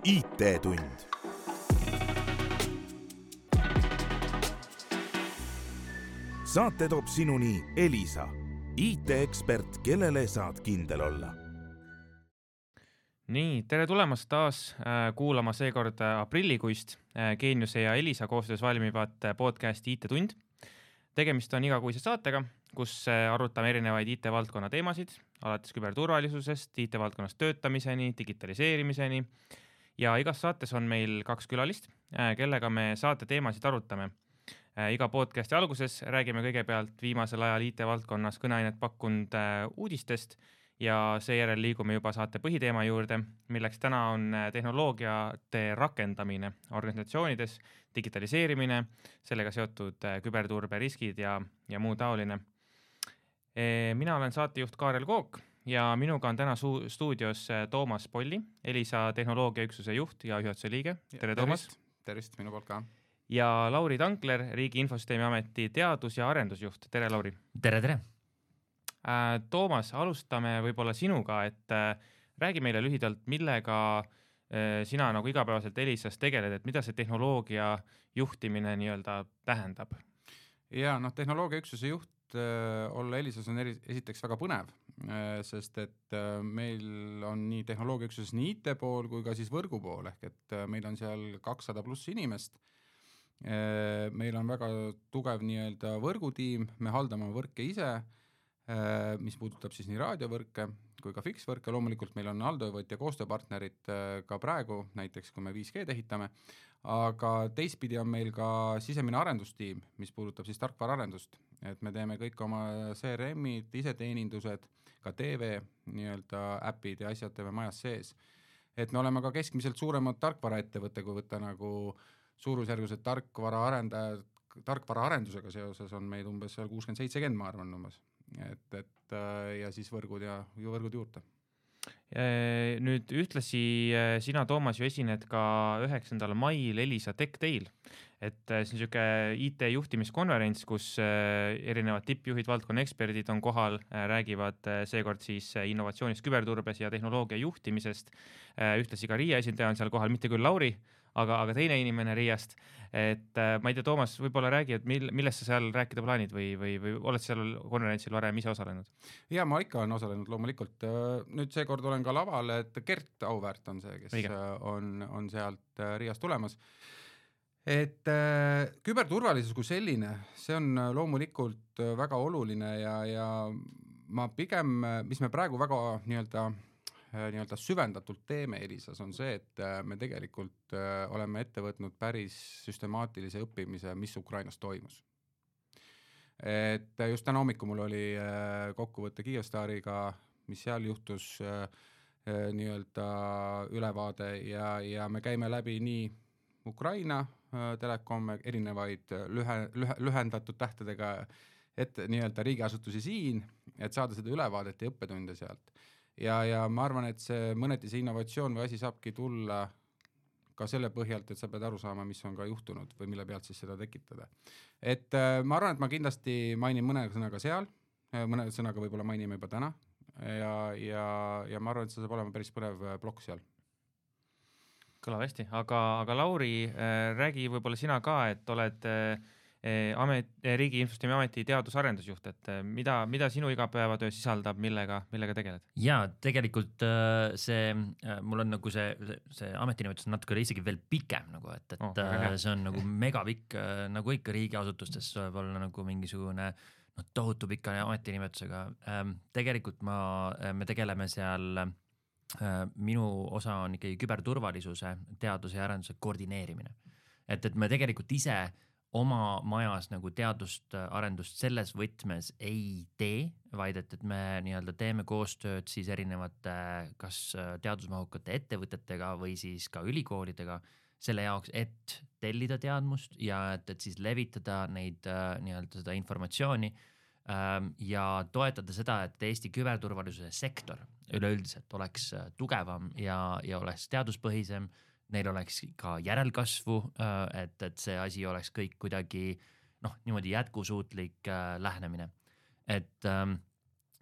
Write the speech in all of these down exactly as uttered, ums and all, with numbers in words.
I T-tund. Saate toob sinuni Elisa, I T-ekspert, kellele saad kindel olla. Nii, tere tulemast taas kuulama seekord aprillikuist Geeniuse ja Elisa koostöös valmivat podcasti I T-tund. Tegemist on igakuise saatega, kus arutame erinevaid I T-valdkonna teemasid, alates küberturvalisusest, I T-valdkonnas töötamiseni, digitaliseerimiseni. Ja igas saates on meil kaks külalist, kellega me saate teemasid arutame. Iga podcasti alguses räägime kõigepealt viimasel ajal I T-valdkonnas kõneainet pakkunud uudistest ja seejärel liigume juba saate põhiteema juurde, milleks täna on tehnoloogiate rakendamine organisatsioonides, digitaliseerimine, sellega seotud küberturberiskid ja, ja muu taoline. Mina olen saatejuht Kaarel Kook ja minuga on täna su- stuudios Toomas Polli, Elisa tehnoloogiaüksuse juht ja juhatuse liige. Tere, Toomas! Tervist, minu poolt ka. Ja Lauri Tankler, Riigi Infosüsteemi Ameti teadus- ja arendusjuht. Tere, Lauri! Tere, tere! Toomas, alustame võib-olla sinuga, et räägi meile lühidalt, millega sina nagu igapäevaselt Elisas tegeled, et mida see tehnoloogia juhtimine nii-öelda tähendab? Ja noh, tehnoloogiaüksuse juht olla Elisas on eri, esiteks väga põnev, sest et meil on nii tehnoloogiaüksuses nii I T pool kui ka siis võrgu pool, ehk et meil on seal kakssada pluss inimest. Meil on väga tugev nii-öelda võrgutiim, me haldame võrke ise, mis puudutab siis nii raadiovõrke kui ka fiksvõrke. Loomulikult meil on haldajavõtt ja koostööpartnerid ka praegu, näiteks kui me viis G tehitame, aga teistpidi on meil ka sisemine arendustiim, mis puudutab siis tarkvaraarendust, et me teeme kõik oma C R M-id, iseteenindused, ka T V nii-öelda äpid ja asjad teeme majas sees. Et me oleme ka keskmiselt suuremad tarkvaraettevõtte, kui võtta nagu suurusjärgused tarkvaraarendajad, tarkvaraarendusega seoses on meid umbes seal kuuskümmend seitsekümmend, ma arvan umbes. Et, et, ja siis võrgud ja võrgud juurde. Nüüd ühtlasi sina, Toomas, ju esined ka üheksandal mail Elisa Tech Dail. Et see on siuke I T juhtimiskonverents, kus erinevad tippjuhid, valdkonna eksperdid on kohal, räägivad seekord siis innovatsioonist, küberturbes ja tehnoloogia juhtimisest. Ühtlasi ka Riia esindaja on seal kohal, mitte küll Lauri, aga, aga teine inimene Riiast. Et ma ei tea, Toomas, võib-olla räägi, et mil, millest sa seal rääkida plaanid või, või, või oled seal konverentsil varem ise osalenud? Ja ma ikka olen osalenud loomulikult. Nüüd seekord olen ka laval, et Gert Auväärt on see, kes Õige. on, on sealt Riiast tulemas. Et äh, küberturvalisus kui selline, see on loomulikult väga oluline ja, ja ma pigem, mis me praegu väga nii-öelda, nii-öelda süvendatult teeme Elisas, on see, et me tegelikult äh, oleme ette võtnud päris süstemaatilise õppimise, mis Ukrainas toimus. Et just täna hommiku mul oli äh, kokkuvõtte Kyivstariga, mis seal juhtus äh, äh, nii-öelda ülevaade ja, ja me käime läbi nii Ukraina Telekom, erinevaid lühe, lühe, lühendatud tähtedega et nii-öelda riigiasutusi siin, et saada seda ülevaadet ja õppetunde sealt. Ja, ja ma arvan, et see mõneti see innovatsioon või asi saabki tulla ka selle põhjalt, et sa pead aru saama, mis on ka juhtunud või mille pealt siis seda tekitada. Et ma arvan, et ma kindlasti mainin mõne sõnaga seal, mõne sõnaga võib-olla mainime juba täna ja, ja, ja ma arvan, et see saab olema päris põnev plokk seal. Kõlab hästi, aga, aga Lauri, äh, räägi võib-olla sina ka, et oled äh, amet, Riigi Infosüsteemi Ameti teadus-arendusjuht, et äh, mida, mida sinu igapäevatöö sisaldab, millega, millega tegeled? Ja tegelikult äh, see, äh, mul on nagu see, see, see ametinimetus natuke isegi veel pikem, nagu, et, et oh, äh, see on nagu megapikk, äh, nagu ikka riigiasutustes võib olla nagu mingisugune no, tohutu pika ametinimetusega. Ähm, tegelikult ma, me tegeleme seal minu osa on ikkagi küberturvalisuse teaduse ja arenduse koordineerimine. Et, et me tegelikult ise oma majas nagu teadust arendust selles võtmes ei tee, vaid et, et me nii-öelda teeme koostööd siis erinevate kas teadusmahukate ettevõtetega või siis ka ülikoolidega selle jaoks, et tellida teadmust ja et, et siis levitada neid nii-öelda seda informatsiooni ja toetada seda, et Eesti küberturvalisuse sektor üleüldiselt oleks tugevam ja, ja oleks teaduspõhisem, neil oleks ka järelkasvu, et, et see asi oleks kõik kuidagi noh, niimoodi jätkusuutlik lähenemine. Et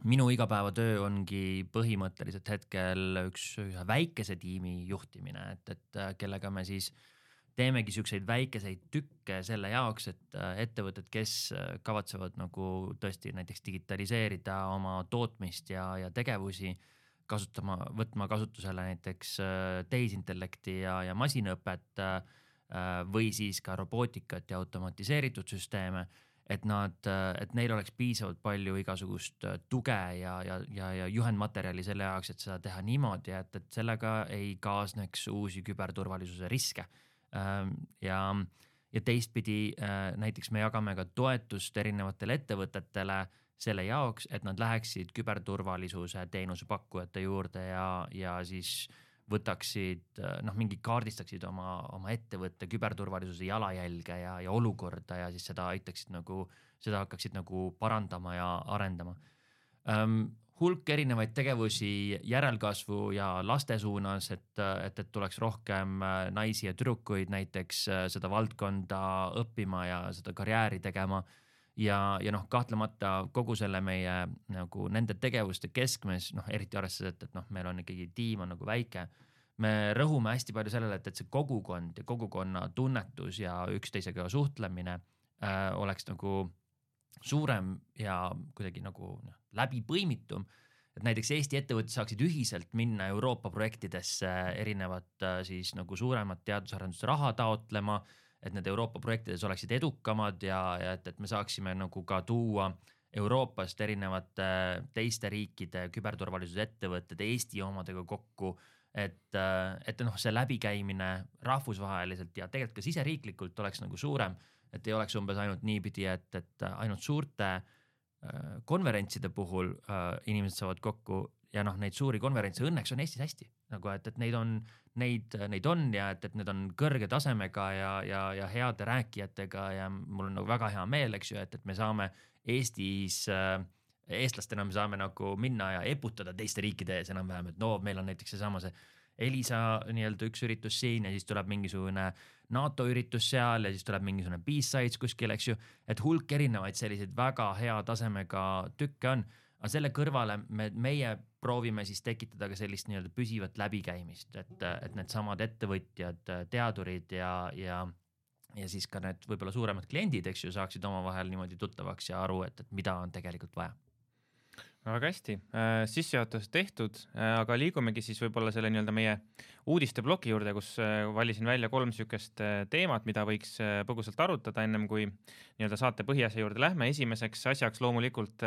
minu igapäevatöö ongi põhimõtteliselt hetkel üks ühe väikese tiimi juhtimine, et, et kellega me siis teemegi siukseid väikeseid tükke selle jaoks, et ettevõtted, kes kavatsevad nagu tõesti näiteks digitaliseerida oma tootmist ja, ja tegevusi, kasutama, võtma kasutusele näiteks tehisintellekti ja, ja masinõpet või siis ka robootikat ja automatiseeritud süsteeme, et nad, et neil oleks piisavalt palju igasugust tuge ja, ja, ja, ja juhendmaterjali selle jaoks, et seda teha niimoodi, et, et sellega ei kaasneks uusi küberturvalisuse riske. Ja, ja teistpidi näiteks me jagame ka toetust erinevatele ettevõtetele selle jaoks, et nad läheksid küberturvalisuse teenusepakkujate juurde ja, ja siis võtaksid, noh, mingi kaardistaksid oma, oma ettevõtte küberturvalisuse jalajälge ja, ja olukorda ja siis seda aitaksid nagu, seda hakkaksid nagu parandama ja arendama. Um, hulk erinevaid tegevusi järelkasvu ja laste suunas, et, et, et tuleks rohkem naisi ja tüdrukuid näiteks seda valdkonda õppima ja seda karjääri tegema. Ja, ja noh, kahtlemata kogu selle meie nagu nende tegevuste keskmes, noh, eriti arvestades, et, et noh, meil on ikkagi tiim on nagu väike. Me rõhume hästi palju sellele, et, et see kogukond ja kogukonna tunnetus ja üksteisega suhtlemine äh, oleks nagu suurem ja kuidagi nagu noh, läbi põimitum. Et näiteks Eesti ettevõtted saaksid ühiselt minna Euroopa projektidesse erinevat äh, siis nagu suuremat teadusarendust raha taotlema, et need Euroopa projektides oleksid edukamad ja, ja et, et me saaksime nagu ka tuua Euroopast erinevate teiste riikide küberturvalisuse ettevõtted Eesti omadega kokku, et, et noh, see läbikäimine rahvusvaheliselt ja tegelikult ka siseriiklikult oleks nagu suurem, et ei oleks umbes ainult niipidi, et, et ainult suurte konverentside puhul inimesed saavad kokku ja noh, neid suuri konverentse õnneks on Eestis hästi, nagu et, et neid on Neid, neid on ja et, et need on kõrge tasemega ja, ja, ja heade rääkijatega ja mul on nagu väga hea meel, eks ju, et, et me saame Eestis, eestlastena me saame nagu minna ja eputada teiste riikide ees enam-vähem, et no meil on näiteks seesama see Elisa nii-öelda üks üritus siin ja siis tuleb mingisugune NATO üritus seal ja siis tuleb mingisugune B-sides kuskil, eks ju, et hulk erinevaid selliseid väga hea tasemega tükke on. Aga selle kõrvale me, meie proovime siis tekitada ka sellist nii-öelda püsivat läbikäimist, et, et need samad ettevõtjad, teadurid ja, ja, ja siis ka need võib-olla suuremad kliendid, eks ju, saaksid omavahel niimoodi tuttavaks ja aru, et, et mida on tegelikult vaja. Väga hästi, sissejuhatus tehtud, aga liigumegi siis võib-olla selle nii-öelda meie uudiste bloki juurde, kus valisin välja kolm sükest teemat, mida võiks põgusalt arutada ennem kui nii-öelda saate põhiasja juurde lähme. Esimeseks asjaks loomulikult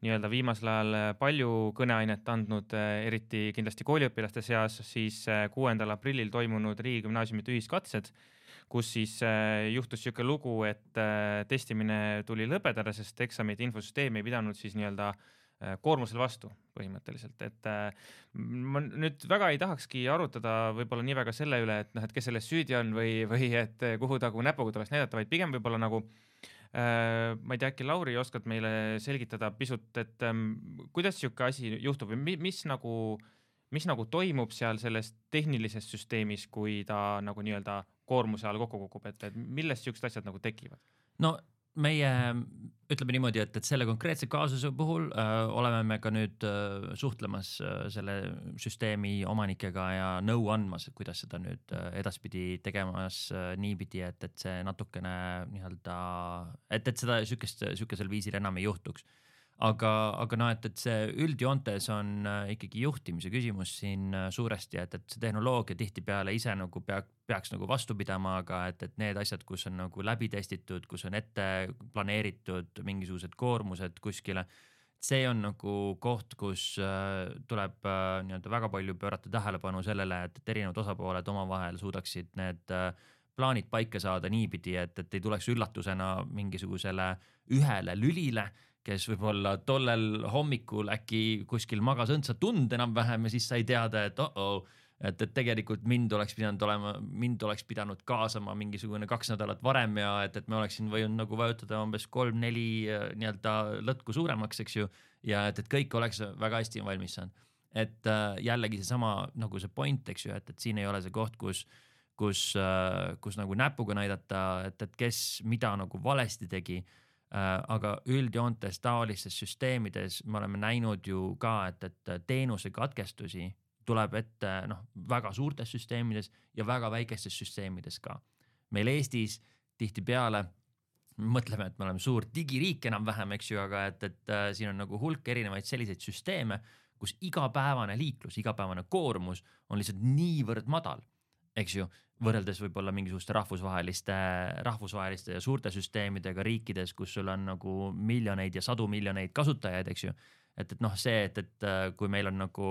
nii-öelda viimasel ajal palju kõneainet andnud, eriti kindlasti kooliõpilaste seas, siis kuuendal aprillil toimunud riigigümnaasiumite ühiskatsed, kus siis juhtus siuke lugu, et testimine tuli lõpetada, sest eksamid infosüsteemi ei pidanud siis nii-öelda koormusel vastu põhimõtteliselt, et ma nüüd väga ei tahakski arutada võib-olla nii väga selle üle, et noh, et kes selles süüdi on või, või et kuhu tagu näpuga tuleks näidata, vaid pigem võib-olla nagu ma ei tea, äkki Lauri oskad meile selgitada pisut, et kuidas siuke asi juhtub või mis nagu, mis nagu toimub seal selles tehnilises süsteemis, kui ta nagu nii-öelda koormuse all kokku kukub, et, et millest siuksed asjad nagu tekivad? No meie ütleme niimoodi, et, et selle konkreetse kaasuse puhul äh, oleme me ka nüüd äh, suhtlemas äh, selle süsteemi omanikega ja nõu andmas, et kuidas seda nüüd äh, edaspidi tegemas äh, niipidi, et, et see natukene nii-öelda, et, et seda sükest, sükesel viisil enam ei juhtuks. Aga, aga no, et, et see üldjoontes on äh, ikkagi juhtimise küsimus siin äh, suuresti, et, et see tehnoloogia tihtipeale ise nagu pea, peaks nagu vastu pidama, aga et, et need asjad, kus on nagu läbi testitud, kus on ette planeeritud mingisugused koormused kuskile, see on nagu koht, kus äh, tuleb äh, nii-öelda väga palju pöörata tähelepanu sellele, et, et erinevad osapooled omavahel suudaksid need äh, plaanid paika saada niipidi, et, et ei tuleks üllatusena mingisugusele ühele lülile, kes võib-olla tollel hommikul äkki kuskil magas õndsa tund enam-vähem ja siis sai teada, et oh oh, et, et tegelikult mind oleks pidanud olema, mind oleks pidanud kaasama mingisugune kaks nädalat varem ja et, et me oleksin võinud nagu vajutada umbes kolm-neli nii-öelda lõtku suuremaks, eks ju, ja et, et kõik oleks väga hästi valmis saanud. Et äh, jällegi seesama nagu see point, eks ju, et, et siin ei ole see koht, kus, kus, äh, kus nagu näpuga näidata, et, et kes mida nagu valesti tegi. aga üldjoontes taolistes süsteemides me oleme näinud ju ka, et, et teenuse katkestusi tuleb ette noh, väga suurtes süsteemides ja väga väikestes süsteemides ka. Meil Eestis tihti peale mõtleme, et me oleme suur digiriik enam vähem, eks ju, aga et, et äh, siin on nagu hulk erinevaid selliseid süsteeme, kus igapäevane liiklus, igapäevane koormus on lihtsalt niivõrd madal, eks ju, võrreldes võib-olla mingisuguste rahvusvaheliste, rahvusvaheliste ja suurte süsteemidega riikides, kus sul on nagu miljoneid ja sadu miljoneid kasutajaid, eks ju. Et, et noh, see, et, et kui meil on nagu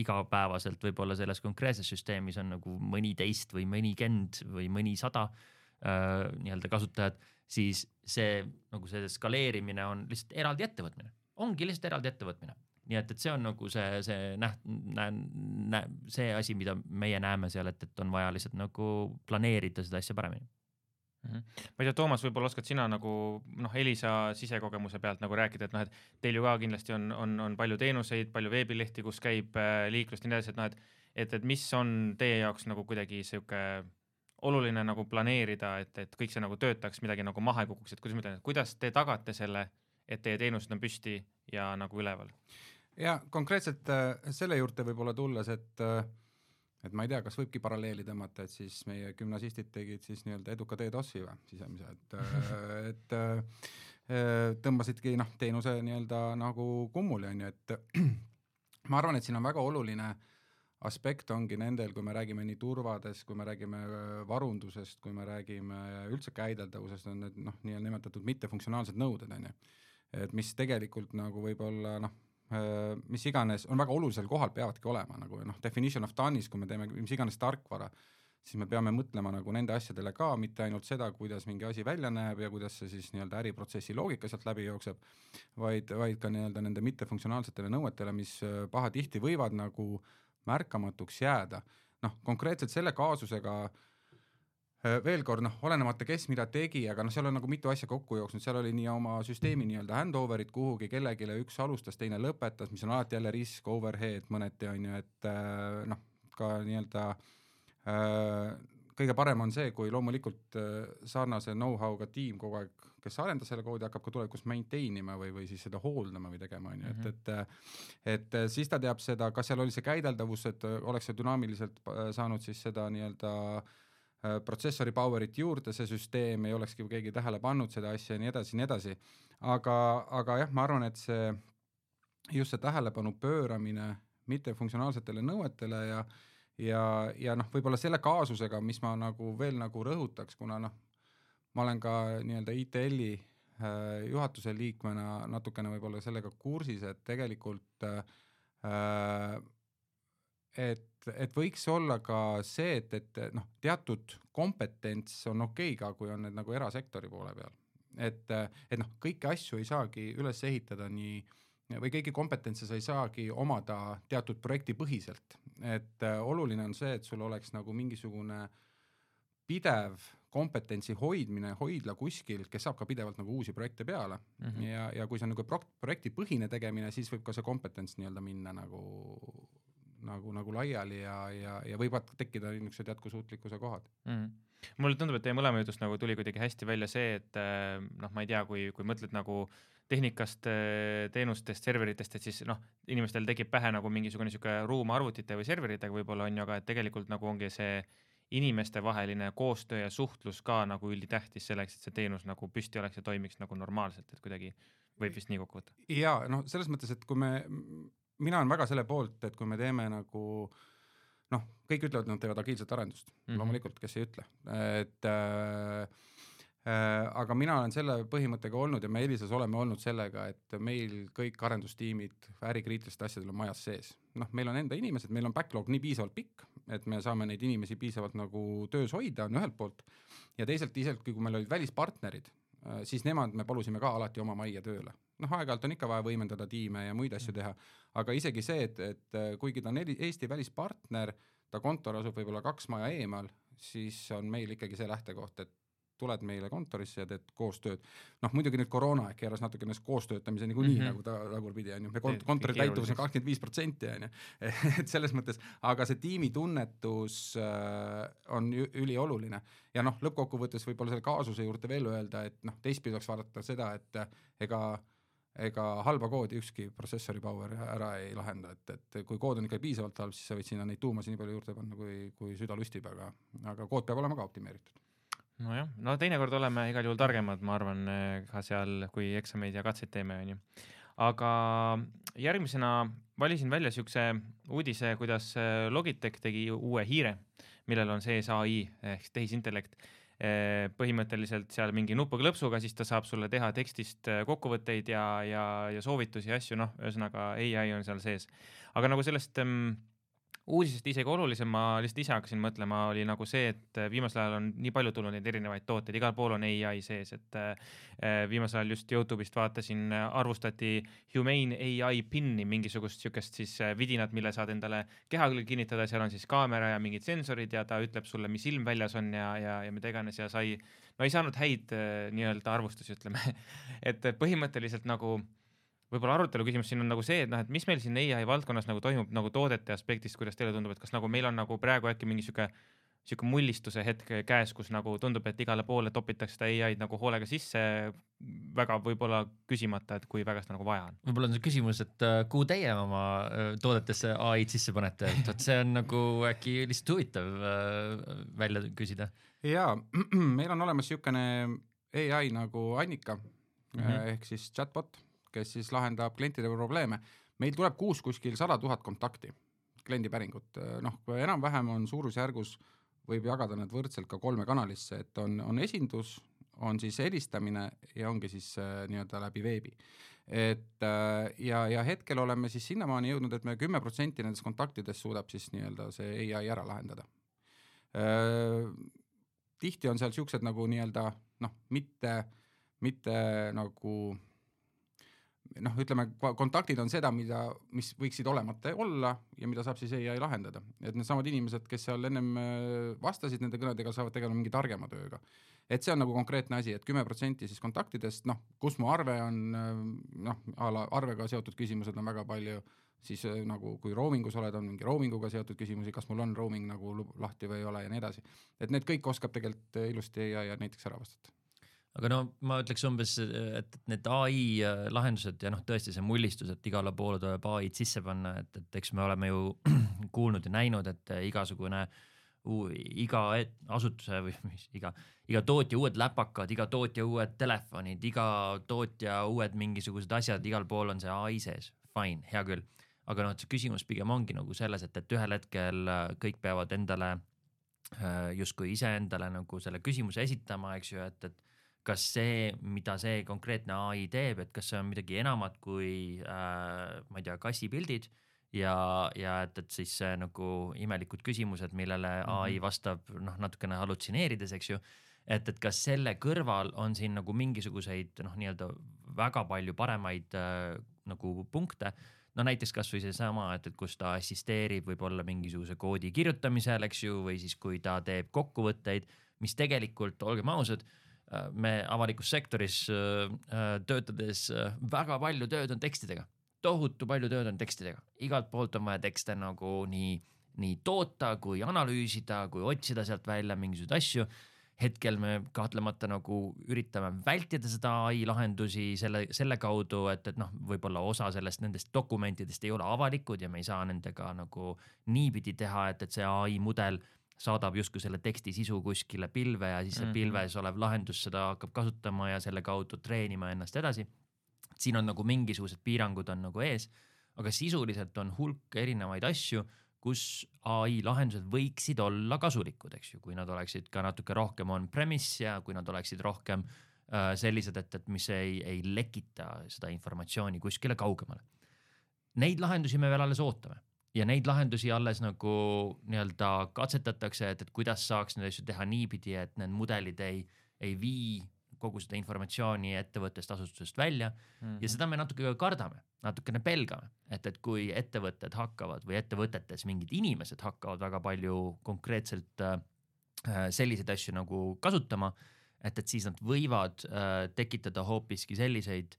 igapäevaselt võib-olla selles konkreetses süsteemis on nagu mõni teist või mõni kend või mõni sada äh, nii-öelda kasutajad, siis see, nagu see skaleerimine on lihtsalt eraldi ettevõtmine. Ongi lihtsalt eraldi ettevõtmine. Nii et, et see on nagu see, see, näht, nä, nä, see asi, mida meie näeme seal, et, et on vaja lihtsalt nagu planeerida seda asja paremini. Mm-hmm. Ma ei tea, Toomas, võib-olla oskad sina nagu noh, Elisa sisekogemuse pealt nagu rääkida, et noh, et teil ju ka kindlasti on, on, on palju teenuseid, palju veebilehti, kus käib äh, liiklust ja nii edasi, et noh, et, et, et mis on teie jaoks nagu kuidagi siuke oluline nagu planeerida, et, et kõik see nagu töötaks, midagi nagu maha ei kukuks, et kuidas, mõtlen, et kuidas te tagate selle, et teie teenused on püsti ja nagu üleval? Ja konkreetselt äh, selle juurde võib-olla tulles, et äh, et ma ei tea, kas võibki paralleeli tõmmata, et siis meie gümnasistid tegid siis nii-öelda eduka DDoS-i või sisemise, et, et äh, tõmbasidki noh, teenuse nii-öelda nagu kummuli, on ju, et ma arvan, et siin on väga oluline aspekt ongi nendel, kui me räägime nii turvadest, kui me räägime varundusest, kui me räägime üldse käideldavusest, on need noh, nii-öelda nimetatud mittefunktsionaalsed nõuded, on ju, et mis tegelikult nagu võib-olla noh, mis iganes, on väga olulisel kohal peavadki olema, nagu noh, definition of done'is, kui me teeme mis iganes tarkvara, siis me peame mõtlema nagu nende asjadele ka, mitte ainult seda, kuidas mingi asi välja näeb ja kuidas see siis nii-öelda äriprotsessi loogika sealt läbi jookseb, vaid, vaid ka nii-öelda nende mittefunktsionaalsetele nõuetele, mis pahatihti võivad nagu märkamatuks jääda. Noh, konkreetselt selle kaasusega veel kord, noh, olenemata kes mida tegi, aga noh, seal on nagu mitu asja kokku jooksnud, seal oli nii oma süsteemi nii-öelda handoverit kuhugi kellegile, üks alustas, teine lõpetas, mis on alati jälle risk, overhead mõneti on ju, et noh, ka nii-öelda kõige parem on see, kui loomulikult sarnase know-how'ga tiim kogu aeg, kes arendas selle koodi, hakkab ka tulevikus maintainima või, või siis seda hooldama või tegema, on ju, et, et, et siis ta teab seda, kas seal oli see käideldavus, et oleks see dünaamiliselt saanud siis seda nii-öelda protsessori powerit juurde, see süsteem ei olekski keegi tähele pannud seda asja ja nii edasi, nii edasi. Aga, aga jah, ma arvan, et see just see tähelepanu pööramine mittefunktsionaalsetele nõuetele ja, ja, ja noh, võib-olla selle kaasusega, mis ma nagu veel nagu rõhutaks, kuna noh, ma olen ka nii-öelda I T L-i juhatuse liikmena natukene võib-olla sellega kursis, et tegelikult äh, et, et võiks olla ka see, et, et noh, teatud kompetents on okei ka, kui on need nagu erasektori poole peal. Et, et noh, kõiki asju ei saagi üles ehitada nii, või kõiki kompetentse sa ei saagi omada teatud projekti põhiselt. Et oluline on see, et sul oleks nagu mingisugune pidev kompetentsi hoidmine, hoidla kuskil, kes saab ka pidevalt nagu uusi projekte peale. Mm-hmm. Ja, ja kui see on nagu projekti põhine tegemine, siis võib ka see kompetents nii-öelda minna nagu nagu, nagu laiali ja, ja, ja võivad tekkida niisugused jätkusuutlikkuse kohad. Mm. Mulle tundub, et teie mõlema jutust nagu tuli kuidagi hästi välja see, et noh, ma ei tea, kui, kui mõtled nagu tehnikast, teenustest, serveritest, et siis noh, inimestel tekib pähe nagu mingisugune niisugune ruum arvutite või serveritega võib-olla on ju, aga et tegelikult nagu ongi see inimeste vaheline koostöö ja suhtlus ka nagu ülitähtis selleks, et see teenus nagu püsti oleks ja toimiks nagu normaalselt, et kuidagi võib vist nii kokku võtta. Ja noh, selles mõttes, et kui me mina olen väga selle poolt, et kui me teeme nagu, noh, kõik ütlevad, et nad teevad agiilset arendust, mm-hmm. loomulikult, kes ei ütle. Et, äh, äh, aga mina olen selle põhimõttega olnud ja me Elisas oleme olnud sellega, et meil kõik arendustiimid ärikriitiliste asjadel on majas sees. Noh, meil on enda inimesed, meil on backlog nii piisavalt pikk, et me saame neid inimesi piisavalt nagu töös hoida, on ühelt poolt. Ja teisalt, teisalt, kui meil olid välispartnerid, siis nemad me palusime ka alati oma majja tööle. Noh, aeg-ajalt on ikka vaja võimendada tiime ja muid asju teha, aga isegi see, et, et kuigi ta on Eesti välispartner, ta kontor asub võib-olla kaks maja eemal, siis on meil ikkagi see lähtekoht, et tuled meile kontorisse ja teed koostööd. Noh, muidugi nüüd koroona ehk keeras natuke ennast koostöötamise niikuinii mm -hmm. nagu ta tagurpidi on ju. Me kont kontori täituvus on kakskümmend viis protsenti on ju. Et selles mõttes, aga see tiimi tunnetus äh, on ülioluline. Ja noh, lõppkokkuvõttes võib-olla selle kaasuse juurde veel öelda, et noh, teistpidi oleks vaadata seda, et ega ega halba koodi ükski protsessori power ära ei lahenda, et, et kui kood on ikka piisavalt halb, siis sa võid sinna neid tuumasi nii palju juurde panna, kui, kui süda lustib, aga, aga kood peab olema ka optimeeritud. Nojah, no teinekord oleme igal juhul targemad, ma arvan, ka seal, kui eksameid ja katseid teeme, on ju. Aga järgmisena valisin välja siukse uudise, kuidas Logitech tegi uue hiire, millel on sees A I ehk tehisintellekt. Põhimõtteliselt seal mingi nupuklõpsuga, siis ta saab sulle teha tekstist kokkuvõtteid ja, ja, ja soovitusi ja asju, noh, ühesõnaga A I on seal sees. Aga nagu sellest ähm, uudisest isegi olulisem, ma lihtsalt ise hakkasin mõtlema, oli nagu see, et viimasel ajal on nii palju tulnud neid erinevaid tooteid, igal pool on A I sees, et äh, viimasel ajal just YouTube'ist vaatasin, arvustati Humane A I pinni, mingisugust sükest siis vidinat, mille saad endale keha küll kinnitada, seal on siis kaamera ja mingid sensorid ja ta ütleb sulle, mis ilm väljas on ja, ja, ja mida iganes ja sai, no ei saanud häid äh, nii-öelda arvustusi, ütleme. Et põhimõtteliselt nagu võib-olla arutelu küsimus siin on nagu see, et noh, et mis meil siin A I valdkonnas nagu toimub nagu toodete aspektist, kuidas teile tundub, et kas nagu meil on nagu praegu äkki mingi siuke, siuke mullistuse hetk käes, kus nagu tundub, et igale poole topitakse seda A I-d nagu hoolega sisse, väga võib-olla küsimata, et kui väga seda nagu vaja on. Võib-olla on see küsimus, et kuhu teie oma toodetesse A I-d sisse panete, et see on nagu äkki lihtsalt huvitav välja küsida. Jaa, meil on olemas siukene A I nagu Annika mm -hmm. ehk siis chatbot, kes siis lahendab klientide probleeme. Meil tuleb kuus kuskil sada tuhat kontakti, kliendipäringut. Noh, enam-vähem on suurusjärgus, võib jagada need võrdselt ka kolme kanalisse, et on, on esindus, on siis helistamine ja ongi siis äh, nii-öelda läbi veebi. Et äh, ja, ja hetkel oleme siis sinnamaani jõudnud, et me kümme protsenti nendest kontaktidest suudab siis nii-öelda see A I ära lahendada. Äh, tihti on seal siuksed nagu nii-öelda, noh, mitte, mitte nagu noh, ütleme, kontaktid on seda, mida, mis võiksid olemata olla ja mida saab siis A I lahendada. Et need samad inimesed, kes seal ennem vastasid nende kõnedega, saavad tegeleda mingi targema tööga. Et see on nagu konkreetne asi, et kümme protsenti siis kontaktidest, noh, kus mu arve on, noh, ala arvega seotud küsimused on väga palju, siis nagu kui roomingus oled, on mingi roominguga seotud küsimusi, kas mul on roaming nagu lahti või ei ole ja nii edasi. Et need kõik oskab tegelikult ilusti A I näiteks ära vastata. Aga no ma ütleks umbes, et need A I lahendused ja noh, tõesti see mullistus, et igale poole tuleb A I-d sisse panna, et, et eks me oleme ju kuulnud ja näinud, et igasugune uu, iga asutuse või mis, iga, iga tootja uued läpakad, iga tootja uued telefonid, iga tootja uued mingisugused asjad, igal pool on see A I sees. Fine, hea küll. Aga noh, see küsimus pigem ongi nagu selles, et, et ühel hetkel kõik peavad endale justkui ise endale nagu selle küsimuse esitama, eks ju, et, et kas see, mida see konkreetne A I teeb, et kas see on midagi enamat kui äh, ma ei tea, kassipildid ja, ja et, et siis see nagu imelikud küsimused, millele mm -hmm. A I vastab noh, natukene hallutsineerides, eks ju, et, et kas selle kõrval on siin nagu mingisuguseid noh, nii-öelda väga palju paremaid äh, nagu punkte, no näiteks kas või see sama, et, et kus ta assisteerib võib-olla mingisuguse koodi kirjutamisel, eks ju, või siis kui ta teeb kokkuvõtteid, mis tegelikult, olgem ausad, me avalikus sektoris äh, töötades äh, väga palju tööd on tekstidega, tohutu palju tööd on tekstidega, igalt poolt on vaja tekste nagu nii, nii toota kui analüüsida, kui otsida sealt välja mingisuguseid asju. Hetkel me kahtlemata nagu üritame vältida seda A I lahendusi selle, selle kaudu, et, et noh, võib-olla osa sellest nendest dokumentidest ei ole avalikud ja me ei saa nendega nagu niipidi teha, et, et see A I mudel saadab justkui selle teksti sisu kuskile pilve ja siis see pilves olev lahendus seda hakkab kasutama ja selle kaudu treenima ennast edasi. Siin on nagu mingisugused piirangud on nagu ees, aga sisuliselt on hulk erinevaid asju, kus A I lahendused võiksid olla kasulikud, eks ju, kui nad oleksid ka natuke rohkem on-premise ja kui nad oleksid rohkem äh, sellised, et, et mis ei, ei lekita seda informatsiooni kuskile kaugemale. Neid lahendusi me veel alles ootame. Ja neid lahendusi alles nagu nii-öelda katsetatakse, et, et kuidas saaks neid asju teha niipidi, et need mudelid ei, ei vii kogu seda informatsiooni ettevõttest asutusest välja mm-hmm. ja seda me natuke kardame, natukene pelgame, et, et kui ettevõtted hakkavad või ettevõtetes mingid inimesed hakkavad väga palju konkreetselt äh, selliseid asju nagu kasutama, et, et siis nad võivad äh, tekitada hoopiski selliseid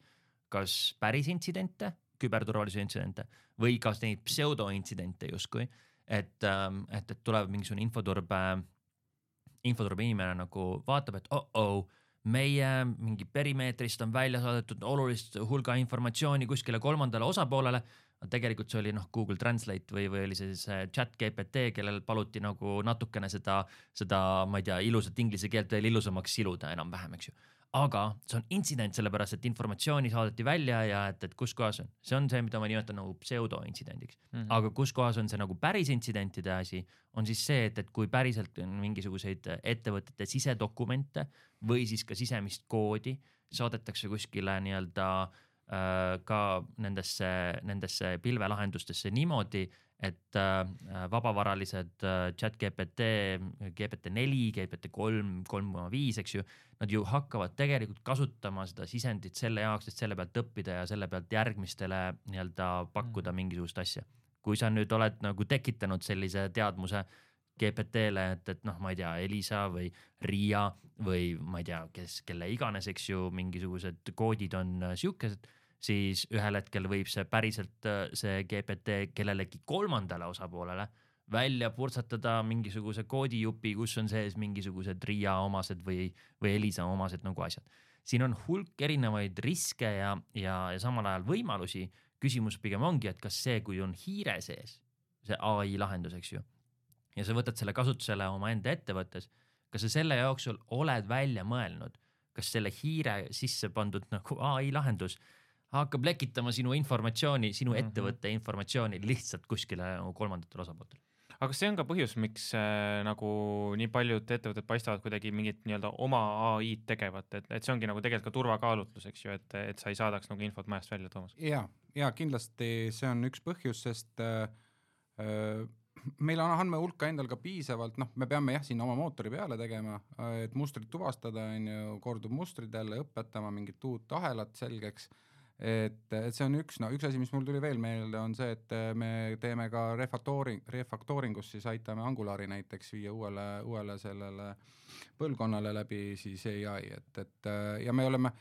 kas päris intsidente, küberturvalisuse intsidente või kas neid pseudointsidente justkui, et, ähm, et, et tuleb mingisugune infoturbe, infoturbe inimene nagu vaatab, et oh-oh, meie mingi perimeetrist on välja saadetud olulist hulga informatsiooni kuskile kolmandale osapoolele, tegelikult see oli noh Google Translate või, või oli see, see chat G P T, kellel paluti nagu natukene seda, seda, ma ei tea, ilusat inglise keelt veel ilusamaks siluda enam-vähem, eks ju. Aga see on intsident sellepärast, et informatsiooni saadeti välja ja et, et kus kohas on. See on see, mida ma nimetan nagu pseudo-intsidendiks. Mm -hmm. Aga kus kohas on see nagu päris intsidentide asi, on siis see, et, et kui päriselt on mingisuguseid ettevõtete sisedokumente või siis ka sisemist koodi saadetakse kuskile nii-öelda äh, ka nendesse, nendesse pilvelahendustesse niimoodi, et äh, vabavaralised äh, chat G P T, G P T neli, G P T kolm, kolm koma viis, eks ju, nad ju hakkavad tegelikult kasutama seda sisendit selle jaoks, et selle pealt õppida ja selle pealt järgmistele nii-öelda pakkuda mingisugust asja. Kui sa nüüd oled nagu tekitanud sellise teadmuse G P T-le, et, et noh, ma ei tea, Elisa või Riia või ma ei tea, kes, kelle iganes, eks ju, mingisugused koodid on siukesed, siis ühel hetkel võib see päriselt see G P T kellelegi kolmandale osapoolele välja purtsatada mingisuguse koodijupi, kus on sees mingisugused Riia omased või, või Elisa omased nagu asjad. Siin on hulk erinevaid riske ja, ja, ja samal ajal võimalusi. Küsimus pigem ongi, et kas see, kui on hiire sees, see A I lahendus, eks ju, ja sa võtad selle kasutusele oma enda ettevõttes, kas sa selle jooksul oled välja mõelnud, kas selle hiire sisse pandud nagu A I lahendus hakkab lekitama sinu informatsiooni, sinu mm-hmm. ettevõtte informatsiooni lihtsalt kuskile nagu kolmandatel osapooltel. Aga see on ka põhjus, miks äh, nagu nii paljud ettevõtted paistavad kuidagi mingit nii-öelda oma A I tegevat, et, et see ongi nagu tegelikult ka turvakaalutlus, eks ju, et, et sa ei saadaks nagu infot majast välja, Toomas. Ja, ja kindlasti see on üks põhjus, sest äh, äh, meil on andmehulka endal ka piisavalt, noh, me peame jah siin oma mootori peale tegema, et mustrid tuvastada, on ju, kordub mustrid jälle õpetama mingit uut ahelat selgeks. Et, et see on üks, no üks asi, mis mul tuli veel meelde, on see, et me teeme ka refactoring, refactoringus, siis aitame Angulari näiteks viia uuele, uuele sellele põlvkonnale läbi siis A I, et, et ja me oleme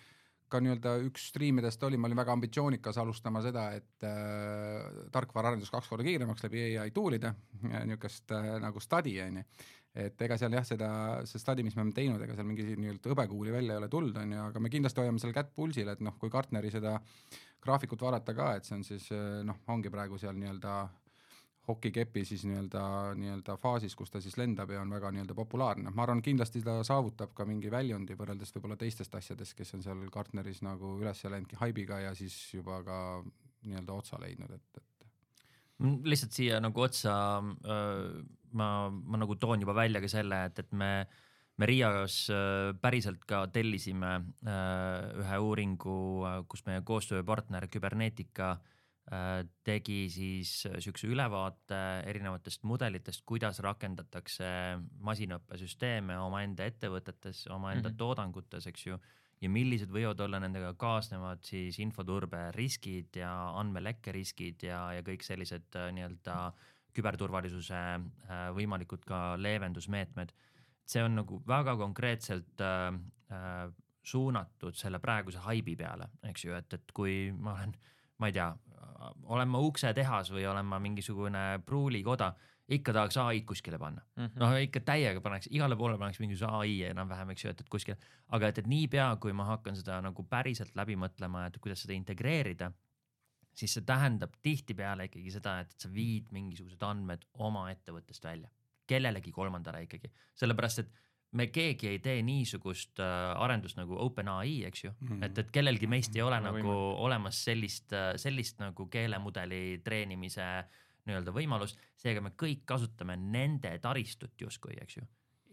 ka nii-öelda üks striimidest oli, ma olin väga ambitsioonikas alustama seda, et äh, tarkvaraarendus kaks korda kiiremaks läbi A I toolide, niisugust äh, nagu study, on ju. Et ega seal jah, seda, see study, mis me oleme teinud, ega seal mingi nii-öelda õbekuuli välja ei ole tulnud, on ju, aga me kindlasti hoiame seal kätt pulsil, et noh, kui Gartneri seda graafikut vaadata ka, et see on siis, noh, ongi praegu seal nii-öelda hokikepi siis nii-öelda, nii-öelda faasis, kus ta siis lendab ja on väga nii-öelda populaarne. Ma arvan, kindlasti ta saavutab ka mingi väljundi võrreldes võib-olla teistest asjadest, kes on seal Gartneris nagu üles läinudki haibiga ja siis juba ka nii-öelda otsa leidnud, et, et lihtsalt siia nagu otsa äh, ma, ma nagu toon juba välja ka selle, et, et me, me Riias äh, päriselt ka tellisime äh, ühe uuringu, kus meie koostööpartner Kybernetica äh, tegi siis siukse ülevaate erinevatest mudelitest, kuidas rakendatakse masinaõppesüsteeme omaenda ettevõtetes, omaenda mm-hmm. toodangutes, eks ju, ja millised võivad olla nendega kaasnevad siis infoturbe riskid ja andmelekke riskid ja, ja kõik sellised äh, nii-öelda küberturvalisuse äh, võimalikud ka leevendusmeetmed. See on nagu väga konkreetselt äh, äh, suunatud selle praeguse haibi peale, eks ju, et, et kui ma olen, ma ei tea, olen ma ukse tehas või olen ma mingisugune pruulikoda, ikka tahaks A I kuskile panna. Mm-hmm. No ikka täiega paneks, igale poole paneks mingisuguse A I enam-vähem, eks ju, et, et kuskile. Aga et, et nii pea, kui ma hakkan seda nagu päriselt läbi mõtlema, et kuidas seda integreerida, siis see tähendab tihtipeale ikkagi seda, et sa viid mingisugused andmed oma ettevõttest välja. Kellelegi kolmandale ikkagi. Sellepärast, et me keegi ei tee niisugust äh, arendust nagu OpenAI, eks ju. Mm-hmm. Et, et kellelgi meist ei ole mm-hmm. nagu võime. Olemas sellist, sellist nagu keelemudeli treenimise nii-öelda võimalust, seega me kõik kasutame nende taristut justkui, eks ju.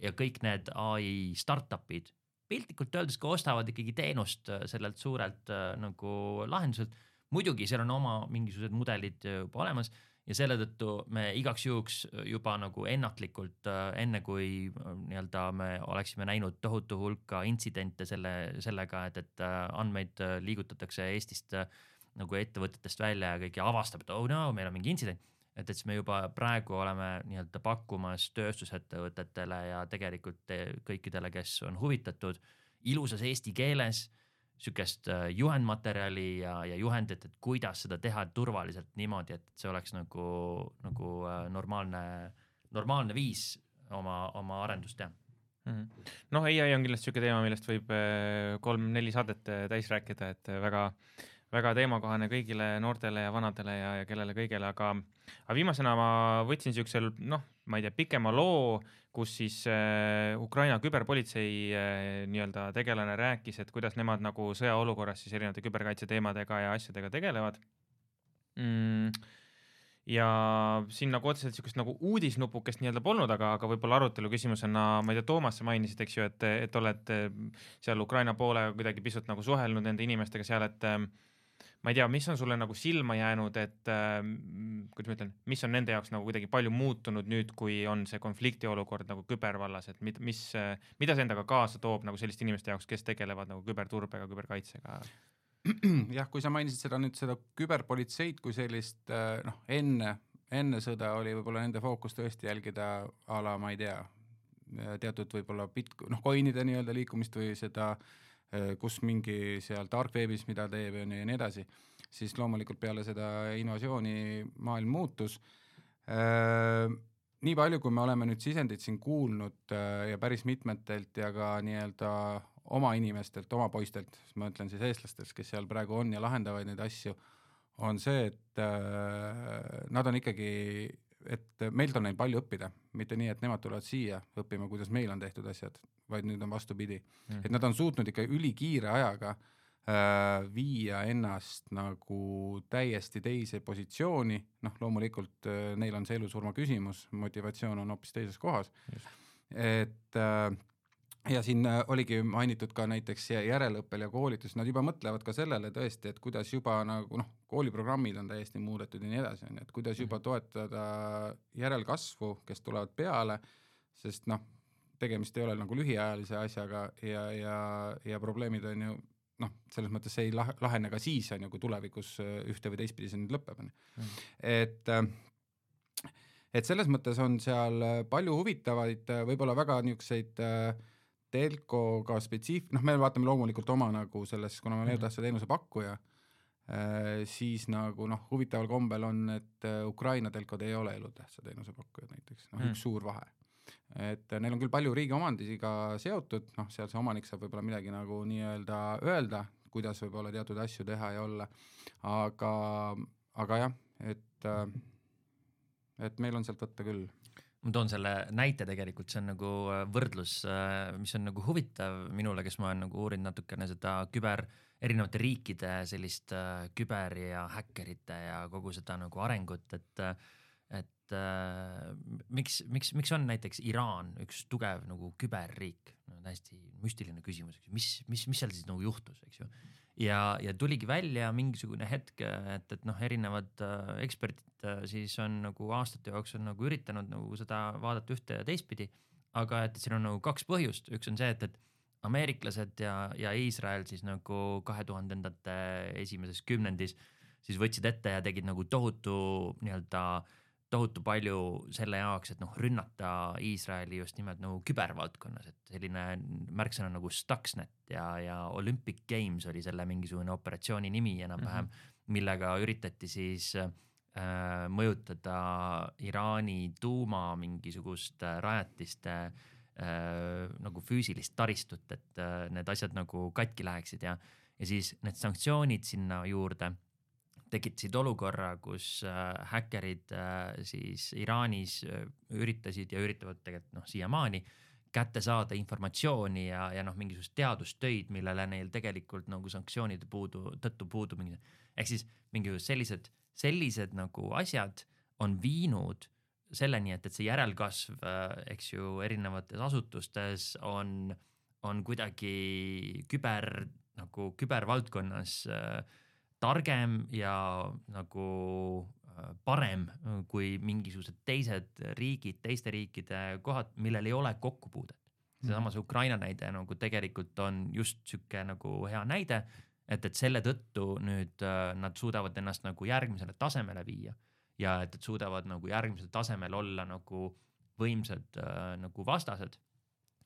Ja kõik need A I startupid piltlikult öeldes ka ostavad ikkagi teenust sellelt suurelt nagu lahenduselt. Muidugi seal on oma mingisugused mudelid juba olemas ja selle tõttu me igaks juhuks juba nagu ennatlikult, enne kui nii-öelda me oleksime näinud tohutu hulka intsidente selle, sellega, et, et andmeid liigutatakse Eestist nagu ettevõtetest välja ja kõik avastab, et oh no, meil on mingi intsident. et, et siis me juba praegu oleme nii-öelda pakkumas tööstusettevõtetele ja tegelikult kõikidele, kes on huvitatud ilusas eesti keeles sükest juhendmaterjali ja, ja juhendit, et kuidas seda teha turvaliselt niimoodi, et see oleks nagu, nagu normaalne, normaalne viis oma, oma arendust teha. Mm-hmm. Noh, A I on kindlasti siuke teema, millest võib kolm-neli saadet täis rääkida, et väga, väga teemakohane kõigile noortele ja vanadele ja, ja kellele kõigele, aga, aga viimasena ma võtsin siuksel, noh, ma ei tea, pikema loo, kus siis äh, Ukraina küberpolitsei äh, nii-öelda tegelane rääkis, et kuidas nemad nagu sõjaolukorras siis erinevate küberkaitse teemadega ja asjadega tegelevad. Mm. Ja siin nagu otseselt siukest nagu uudisnupukest nii-öelda polnud, aga, aga võib-olla arutelu küsimusena, ma ei tea, Toomas sa mainisid, eks ju, et, et oled seal Ukraina poolega kuidagi pisut nagu suhelnud nende inimestega seal, et ma ei tea, mis on sulle nagu silma jäänud, et äh, kuidas ma ütlen, mis on nende jaoks nagu kuidagi palju muutunud nüüd, kui on see konflikti olukord nagu kübervallas, et mit, mis, mida see endaga kaasa toob nagu selliste inimeste jaoks, kes tegelevad nagu küberturbega, küberkaitsega? Jah, kui sa mainisid seda nüüd seda küberpolitseid kui sellist, noh, enne, enne sõda oli võib-olla nende fookus tõesti jälgida ala, ma ei tea, teatud võib-olla bit, noh, coinide nii-öelda liikumist või seda, kus mingi seal dark webis, mida teeb ja nii edasi, siis loomulikult peale seda invasiooni maailm muutus. Nii palju, kui me oleme nüüd sisendid siin kuulnud ja päris mitmetelt ja ka nii-öelda oma inimestelt, oma poistelt, ma ütlen siis eestlastest, kes seal praegu on ja lahendavad neid asju, on see, et nad on ikkagi, et meilt on neil palju õppida, mitte nii, et nemad tulevad siia õppima, kuidas meil on tehtud asjad, vaid nüüd on vastupidi. Mm. Et nad on suutnud ikka ülikiire ajaga äh, viia ennast nagu täiesti teise positsiooni, noh loomulikult äh, neil on see elusurma küsimus, motivatsioon on hoopis teises kohas. Just. Et äh, ja siin oligi mainitud ka näiteks järelõppel ja koolitus, nad juba mõtlevad ka sellele tõesti, et kuidas juba nagu noh, kooliprogrammid on täiesti muudetud ja nii edasi, et kuidas juba toetada järelkasvu, kes tulevad peale, sest noh, tegemist ei ole nagu lühiajalise asjaga ja, ja, ja probleemid on ju noh, selles mõttes see ei lahene ka siis, on ju, kui tulevikus ühte või teistpidi see nüüd lõpeb. Mm. Et et selles mõttes on seal palju huvitavaid, võib-olla väga niisuguseid telkoga spetsiif-, noh, me vaatame loomulikult oma nagu selles, kuna me elutähtsa teenuse pakkuja, siis nagu noh, huvitaval kombel on, et Ukraina telkod ei ole elutähtsa teenuse pakkujad näiteks, noh, üks suur vahe. Et neil on küll palju riigi omandisiga seotud, noh, seal see omanik saab võib-olla midagi nagu nii-öelda öelda, kuidas võib-olla teatud asju teha ja olla, aga, aga jah, et, et meil on sealt võtta küll. Ma toon selle näite tegelikult, see on nagu võrdlus, mis on nagu huvitav minule, kes ma olen nagu uurinud natukene seda küber, erinevate riikide sellist küber ja häkkerite ja kogu seda nagu arengut, et, et miks, miks, miks on näiteks Iraan üks tugev nagu küberriik, no, täiesti müstiline küsimus, mis, mis, mis seal siis nagu juhtus, eks ju. Ja, ja tuligi välja mingisugune hetk, et, et noh, erinevad äh, eksperdid äh, siis on nagu aastate jooksul nagu üritanud nagu seda vaadata ühte ja teistpidi, aga et siin on nagu kaks põhjust, üks on see, et, et ameeriklased ja, ja Iisrael siis nagu kahe tuhandendate esimeses kümnendis siis võtsid ette ja tegid nagu tohutu nii-öelda tohutu palju selle jaoks, et noh, rünnata Iisraeli just nimelt nagu kübervaldkonnas, et selline märksõna nagu Stuxnet ja, ja Olympic Games oli selle mingisugune operatsiooni nimi enam-vähem, mm-hmm. millega üritati siis äh, mõjutada Iraani tuuma mingisugust rajatiste äh, nagu füüsilist taristut, et äh, need asjad nagu katki läheksid ja, ja siis need sanktsioonid sinna juurde tekitasid olukorra, kus äh, häkkerid äh, siis Iraanis äh, üritasid ja üritavad tegelikult noh, siiamaani kätte saada informatsiooni ja, ja noh, mingisugust teadustöid, millele neil tegelikult nagu sanktsioonide puudu, tõttu puudu mingi, ehk siis mingisugused sellised, sellised nagu asjad on viinud selleni, et, et see järelkasv, äh, eks ju, erinevates asutustes on, on kuidagi küber, nagu kübervaldkonnas äh, targem ja nagu parem kui mingisugused teised riigid, teiste riikide kohad, millel ei ole kokkupuudet. Seesama see Ukraina näide nagu tegelikult on just siuke nagu hea näide, et, et selle tõttu nüüd nad suudavad ennast nagu järgmisele tasemele viia ja et, et suudavad nagu järgmisel tasemel olla nagu võimsad äh, nagu vastased.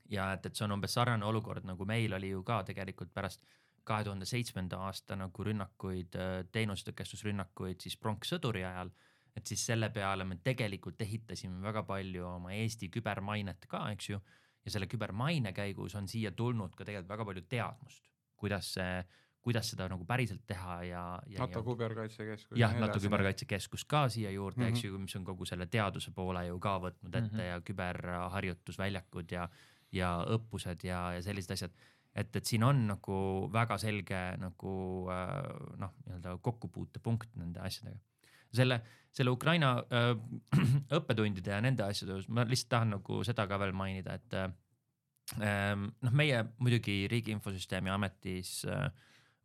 Ja et, et see on umbes sarnane olukord, nagu meil oli ju ka tegelikult pärast kahe tuhande seitsmenda aasta nagu rünnakuid, teenustõkestusrünnakuid siis pronkssõduri ajal, et siis selle peale me tegelikult ehitasime väga palju oma Eesti kübermainet ka, eks ju, ja selle kübermaine käigus on siia tulnud ka tegelikult väga palju teadmust, kuidas see, kuidas seda nagu päriselt teha ja, ja NATO küberkaitsekeskus. jah, NATO küberkaitsekeskus ka siia juurde, mm -hmm. eks ju, mis on kogu selle teaduse poole ju ka võtnud ette mm -hmm. ja küberharjutusväljakud ja, ja õppused ja, ja sellised asjad. Et, et siin on nagu väga selge nagu noh, nii-öelda kokkupuutepunkt nende asjadega. Selle, selle Ukraina äh, õppetundide ja nende asjade, ma lihtsalt tahan nagu seda ka veel mainida, et äh, noh, meie muidugi Riigi Infosüsteemi Ametis äh,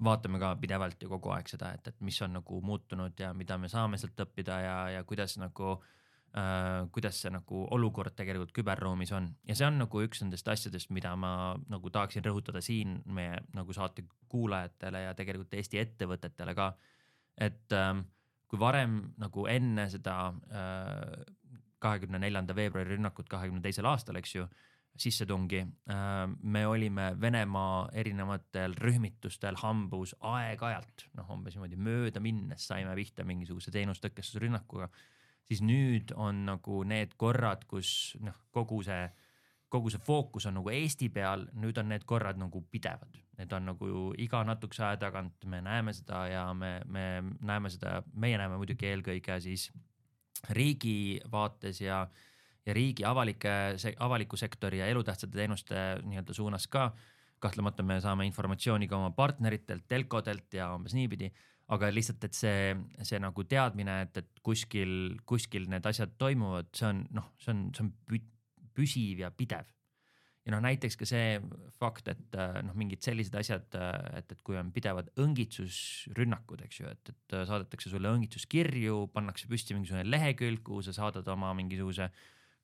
vaatame ka pidevalt ja kogu aeg seda, et, et mis on nagu muutunud ja mida me saame sealt õppida ja, ja kuidas nagu Uh, kuidas see nagu olukord tegelikult küberruumis on. Ja see on nagu üks nendest asjadest, mida ma nagu tahaksin rõhutada siin meie nagu saate kuulajatele ja tegelikult Eesti ettevõtetele ka. Et um, kui varem nagu enne seda uh, kahekümne neljanda veebruari rünnakut kahekümne teisel aastal, eks ju, sissetungi, uh, me olime Venemaa erinevatel rühmitustel hambus aeg-ajalt, noh umbes niimoodi mööda minnes saime pihta mingisuguse teenustõkestusrünnakuga. Siis nüüd on nagu need korrad, kus noh, kogu see, kogu see fookus on nagu Eesti peal, nüüd on need korrad nagu pidevad. Need on nagu iga natukese aja tagant, me näeme seda ja me, me näeme seda, meie näeme muidugi eelkõige siis riigi vaates ja, ja riigi avalike, avaliku sektori ja elutähtsate teenuste nii-öelda suunas ka. Kahtlemata me saame informatsiooni ka oma partneritelt, telkodelt ja umbes niipidi. Aga lihtsalt, et see, see nagu teadmine, et, et kuskil, kuskil need asjad toimuvad, see on, noh, see on, see on püsiv ja pidev. Ja noh, näiteks ka see fakt, et noh, mingid sellised asjad, et, et kui on pidevad õngitsusrünnakud, eks ju, et, et saadetakse sulle õngitsuskirju, pannakse püsti mingisugune lehekülg, kuhu sa saadad oma mingisuguse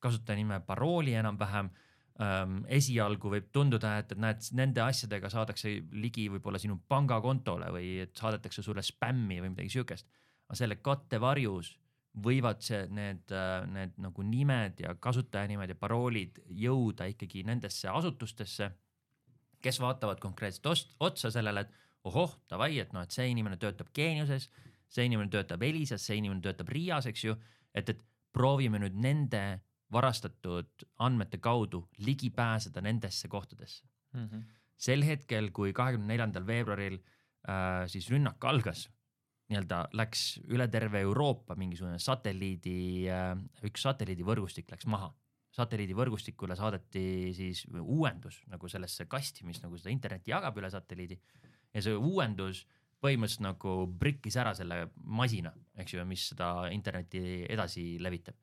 kasutajanime parooli enam-vähem. Um, esialgu võib tunduda, et, et näed, nende asjadega saadakse ligi võib-olla sinu pangakontole või et saadetakse sulle spämmi või midagi sükest. Aga selle kattevarjus võivad see, need, need nagu nimed ja kasutajanimed ja paroolid jõuda ikkagi nendesse asutustesse, kes vaatavad konkreetselt otsa sellele, et ohoh, davai, et, no, et see inimene töötab Geeniuses, see inimene töötab Elisas, see inimene töötab Riias, eks ju, et, et proovime nüüd nende varastatud andmete kaudu ligi pääseda nendesse kohtadesse. Mm -hmm. Sel hetkel, kui kahekümne neljandal veebruaril äh, siis rünnak algas, nii-öelda läks üle terve Euroopa mingisugune satelliidi, äh, üks satelliidivõrgustik läks maha. Satelliidivõrgustikule saadeti siis uuendus nagu sellesse kasti, mis nagu seda internetti jagab üle satelliidi. Ja see uuendus põhimõtteliselt nagu brikkis ära selle masina, eks ju, mis seda internetti edasi levitab.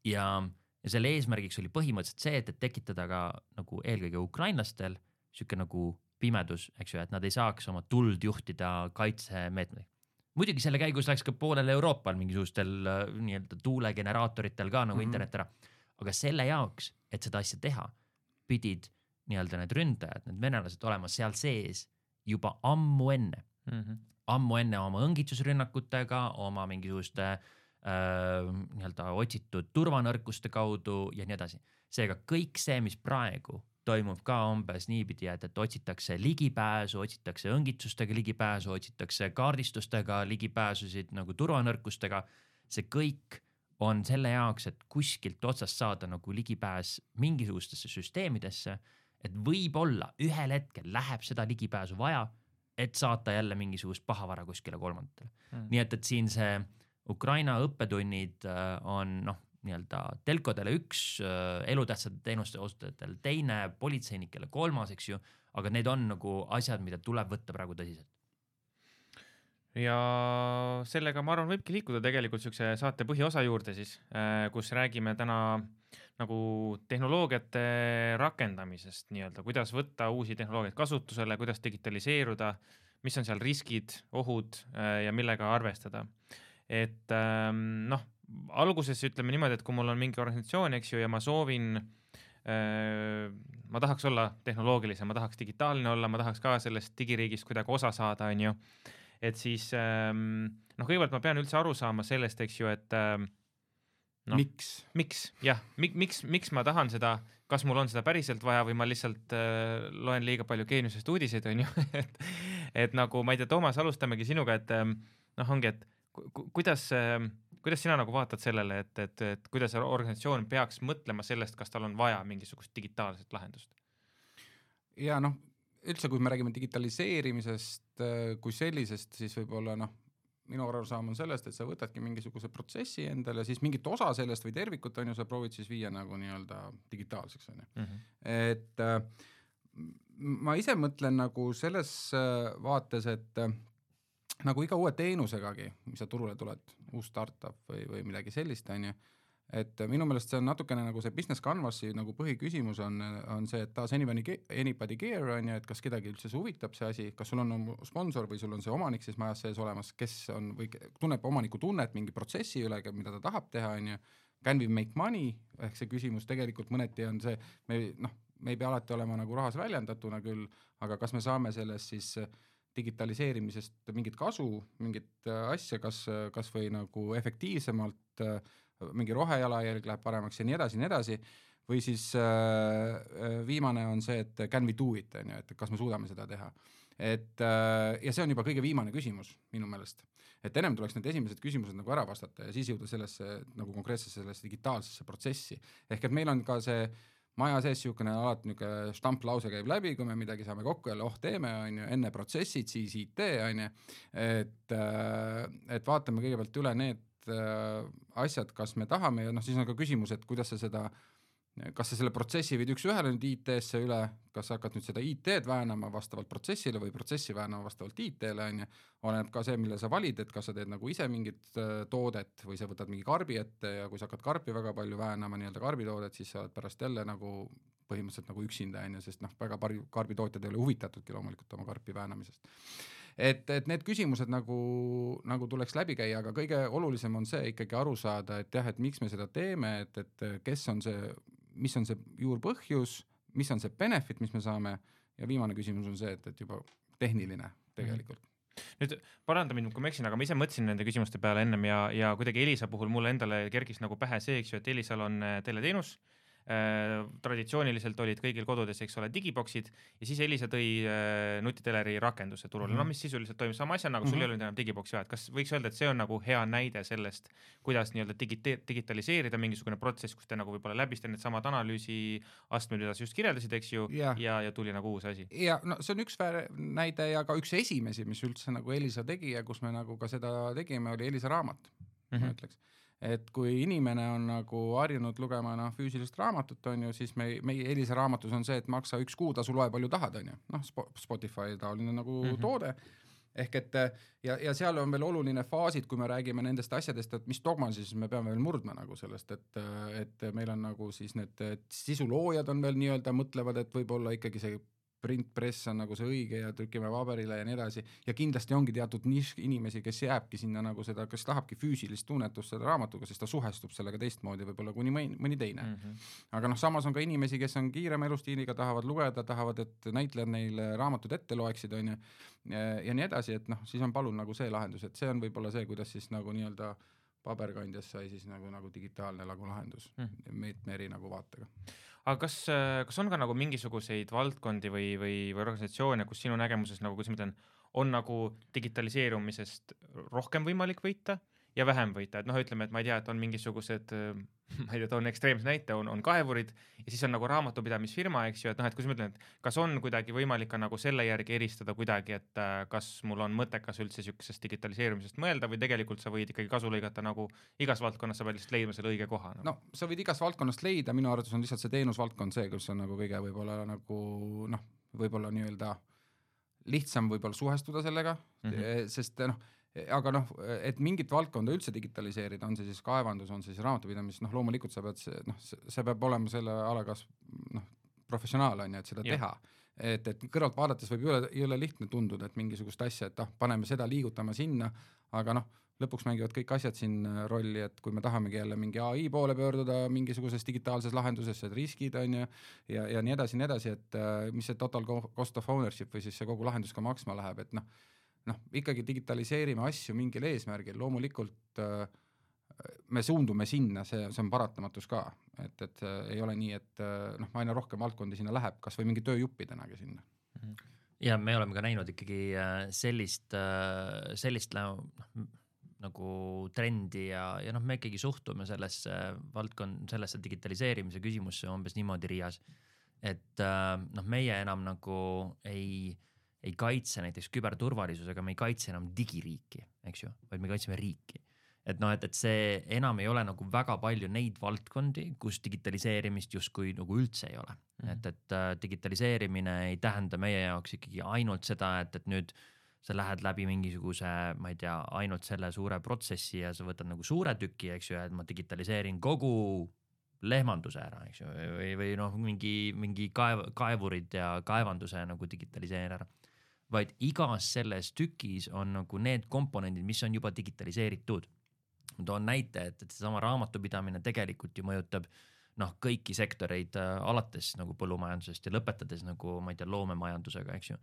Ja Ja selle eesmärgiks oli põhimõtteliselt see, et, et tekitada ka nagu eelkõige ukrainlastel siuke nagu pimedus, eks ju, et nad ei saaks oma tuld juhtida kaitsemeetmeid. Muidugi selle käigus läks ka poolel Euroopal mingisugustel nii-öelda tuulegeneraatoritel ka nagu mm -hmm. internet ära. Aga selle jaoks, et seda asja teha, pidid nii-öelda need ründajad, need venelased olema seal sees juba ammu enne. Mm -hmm. Ammu enne oma õngitsusrünnakutega, oma mingisuguste Äh, nii-öelda otsitud turvanõrkuste kaudu ja nii edasi. Seega kõik see, mis praegu toimub ka umbes niipidi, et, et otsitakse ligipääsu, otsitakse õngitsustega ligipääsu, otsitakse kaardistustega ligipääsusid nagu turvanõrkustega, see kõik on selle jaoks, et kuskilt otsast saada nagu ligipääs mingisugustesse süsteemidesse, et võib-olla ühel hetkel läheb seda ligipääsu vaja, et saata jälle mingisugust pahavara kuskile kolmandatele. Hmm. Nii et, et siin see Ukraina õppetunnid on noh, nii-öelda telkodele üks, elutähtsate teenuste osutajatel teine, politseinikele kolmas, eks ju, aga need on nagu asjad, mida tuleb võtta praegu tõsiselt. Ja sellega ma arvan, võibki liikuda tegelikult siukse saate põhiosa juurde siis, kus räägime täna nagu tehnoloogiate rakendamisest nii-öelda, kuidas võtta uusi tehnoloogiaid kasutusele, kuidas digitaliseeruda, mis on seal riskid, ohud ja millega arvestada. Et noh, alguses ütleme niimoodi, et kui mul on mingi organisatsioon, eks ju, ja ma soovin, ma tahaks olla tehnoloogilisem, ma tahaks digitaalne olla, ma tahaks ka sellest digiriigist kuidagi osa saada, on ju. et siis ähm, noh, kõigepealt ma pean üldse aru saama sellest, eks ju, et ähm, no, miks, miks, jah, mik, miks, miks ma tahan seda, kas mul on seda päriselt vaja või ma lihtsalt äh, loen liiga palju Geeniusest uudiseid, on ju, et, et nagu ma ei tea, Toomas, alustamegi sinuga, et ähm, noh, ongi, et ku, kuidas ähm, kuidas sina nagu vaatad sellele, et, et, et kuidas organisatsioon peaks mõtlema sellest, kas tal on vaja mingisugust digitaalset lahendust? Ja noh, üldse kui me räägime digitaliseerimisest kui sellisest, siis võib-olla noh, minu arusaam on sellest, et sa võtadki mingisuguse protsessi endale, siis mingit osa sellest või tervikut on ju, sa proovid siis viia nagu nii-öelda digitaalseks. On ju. Mm-hmm. Et äh, ma ise mõtlen nagu selles vaates, et äh, nagu iga uue teenusegagi, mis sa turule tuled, uus startup või, või midagi sellist, on ju, et minu meelest see on natukene nagu see business canvasi nagu põhiküsimus on, on see, et taas anybody, anybody care, on ju, et kas kedagi üldse see huvitab see asi, kas sul on sponsor või sul on see omanik siis majas sees olemas, kes on või tunneb omaniku tunnet mingi protsessi üle, mida ta tahab teha, on ju, can we make money, ehk see küsimus tegelikult mõneti on see, me, noh, me ei pea alati olema nagu rahas väljendatuna küll, aga kas me saame sellest siis digitaliseerimisest mingit kasu, mingit asja, kas, kas või nagu efektiivsemalt, mingi rohejalajälg läheb paremaks ja nii edasi, nii edasi, või siis äh, viimane on see, et can we do it, on ju, et kas me suudame seda teha. Et, äh, ja see on juba kõige viimane küsimus minu meelest. Et ennem tuleks need esimesed küsimused nagu ära vastata ja siis jõuda sellesse nagu konkreetsesse sellesse digitaalsesse protsessi. Ehk et meil on ka see maja sees niisugune alati niisugune stamplause käib läbi, kui me midagi saame kokku jälle, oh teeme, on ju, enne protsessid, siis I T, on ju, et, et vaatame kõigepealt üle need asjad, kas me tahame ja noh, siis on ka küsimus, et kuidas sa seda, kas sa selle protsessi viid üks ühele nüüd I T-sse üle, kas sa hakkad nüüd seda I T-d väänama vastavalt protsessile või protsessi väänama vastavalt I T-le, on ju, oleneb ka see, mille sa valid, et kas sa teed nagu ise mingit toodet või sa võtad mingi karbi ette ja kui sa hakkad karpi väga palju väänama, nii-öelda karbitoodet, siis sa oled pärast jälle nagu põhimõtteliselt nagu üksinda, on ju, sest noh, väga karbitootjad ei ole huvitatudki loomulikult oma karpi väänamisest. Et, et need küsimused nagu, nagu tuleks läbi käia, aga kõige olulisem on see ikkagi aru saada, et jah, et miks me seda teeme, et, et kes on see, mis on see juurpõhjus, mis on see benefit, mis me saame ja viimane küsimus on see, et, et juba tehniline tegelikult. Nüüd paranda mind, kui ma eksin, aga ma ise mõtlesin nende küsimuste peale ennem ja, ja kuidagi Elisa puhul mulle endale kergis nagu pähe see, eks ju, et Elisal on teleteenus, Äh, traditsiooniliselt olid kõigil kodudes, eks ole, digiboksid ja siis Elisa tõi äh, nutiteleri rakenduse turule, mm -hmm. no mis sisuliselt toimub sama asja, nagu sul mm -hmm. ei olnud enam digiboksi vaja, et kas võiks öelda, et see on nagu hea näide sellest, kuidas nii-öelda digite- digitaliseerida mingisugune protsess, kus te nagu võib-olla läbiste need samad analüüsi astmed, mida sa just kirjeldasid, eks ju, ja, ja, ja tuli nagu uus asi. Ja no see on üks näide ja ka üks esimesi, mis üldse nagu Elisa tegi ja kus me nagu ka seda tegime, oli Elisa raamat, mm -hmm. ma ütleks. Et kui inimene on nagu harjunud lugema noh, füüsilist raamatut, on ju, siis me, meie Elisa raamatus on see, et maksa üks kuutasu, loe palju tahad, on ju. Noh, Spotify taoline nagu mm-hmm. toode. Ehk et ja, ja seal on veel oluline faasid, kui me räägime nendest asjadest, et mis dogma siis me peame veel murdma nagu sellest, et, et meil on nagu siis need sisuloojad on veel nii-öelda mõtlevad, et võib-olla ikkagi see printpress on nagu see õige ja trükime paberile ja nii edasi ja kindlasti ongi teatud nišk inimesi, kes jääbki sinna nagu seda, kes tahabki füüsilist tunnetust selle raamatuga, siis ta suhestub sellega teistmoodi võib-olla kuni mõni, mõni teine. Mm-hmm. Aga noh, samas on ka inimesi, kes on kiirema elustiiliga, tahavad lugeda, tahavad, et näitlejad neile raamatud ette loeksid, on ju, ja, ja nii edasi, et noh, siis on palun nagu see lahendus, et see on võib-olla see, kuidas siis nagu nii-öelda paberkandjas sai siis nagu, nagu digitaalne nagu lahendus mm. meetme eri nagu vaatega. Aga kas, kas on ka nagu mingisuguseid valdkondi või, või, või organisatsioone, kus sinu nägemuses nagu, kus ma ütlen, on nagu digitaliseerumisest rohkem võimalik võita ja vähem võita, et noh, ütleme, et ma ei tea, et on mingisugused, ma ei tea, toon ekstreemse näite, on, on kaevurid ja siis on nagu raamatupidamisfirma, eks ju, et noh, et kus ma ütlen, et kas on kuidagi võimalik ka nagu selle järgi eristada kuidagi, et kas mul on mõttekas üldse niisugusest digitaliseerumisest mõelda või tegelikult sa võid ikkagi kasu lõigata nagu igas valdkonnas, sa pead lihtsalt leidma selle õige koha nagu. No sa võid igas valdkonnast leida, minu arvates on lihtsalt see teenusvaldkond see, kus on nagu kõige võib-olla nagu noh, võib-olla nii-öelda lihtsam võib-olla suhestuda sellega mm, -hmm. sest noh, aga noh, et mingit valdkonda üldse digitaliseerida, on see siis kaevandus, on see siis raamatupidamis, noh loomulikult sa pead, noh, see peab olema selle alakas noh, professionaal on ju, et seda ja. teha. Et, et kõrvalt vaadates võib üle, ei ole lihtne tunduda, et mingisugust asja, et ah, paneme seda, liigutame sinna, aga noh, lõpuks mängivad kõik asjad siin rolli, et kui me tahamegi jälle mingi A I poole pöörduda mingisuguses digitaalses lahenduses, et riskid on ju, ja, ja nii edasi, nii edasi, et mis see total cost of ownership või siis see kogu lahendus ka maksma läheb, et noh, noh, ikkagi digitaliseerime asju mingil eesmärgil, loomulikult äh, me suundume sinna, see, see on paratamatus ka, et, et ei ole nii, et noh, aina rohkem valdkondi sinna läheb, kas või mingi tööjuppidenagi sinna. Ja me oleme ka näinud ikkagi sellist, sellist noh, nagu trendi ja, ja noh, me ikkagi suhtume sellesse valdkond, sellesse digitaliseerimise küsimusse umbes niimoodi Riias, et noh, meie enam nagu ei, ei kaitse näiteks küberturvalisusega, me ei kaitse enam digiriiki, eks ju, vaid me kaitseme riiki. Et noh, et, et see enam ei ole nagu väga palju neid valdkondi, kus digitaliseerimist justkui nagu üldse ei ole. Mm-hmm. Et, et uh, digitaliseerimine ei tähenda meie jaoks ikkagi ainult seda, et, et nüüd sa lähed läbi mingisuguse, ma ei tea, ainult selle suure protsessi ja sa võtad nagu suure tüki, eks ju, et ma digitaliseerin kogu lehmanduse ära, eks ju, või, või noh, mingi, mingi kaev, kaevurid ja kaevanduse nagu digitaliseerin ära. Vaid igas selles tükis on nagu need komponendid, mis on juba digitaliseeritud. Ma toon näite, et, et seesama raamatupidamine tegelikult ju mõjutab noh, kõiki sektoreid äh, alates nagu põllumajandusest ja lõpetades nagu, ma ei tea, loomemajandusega, eks ju.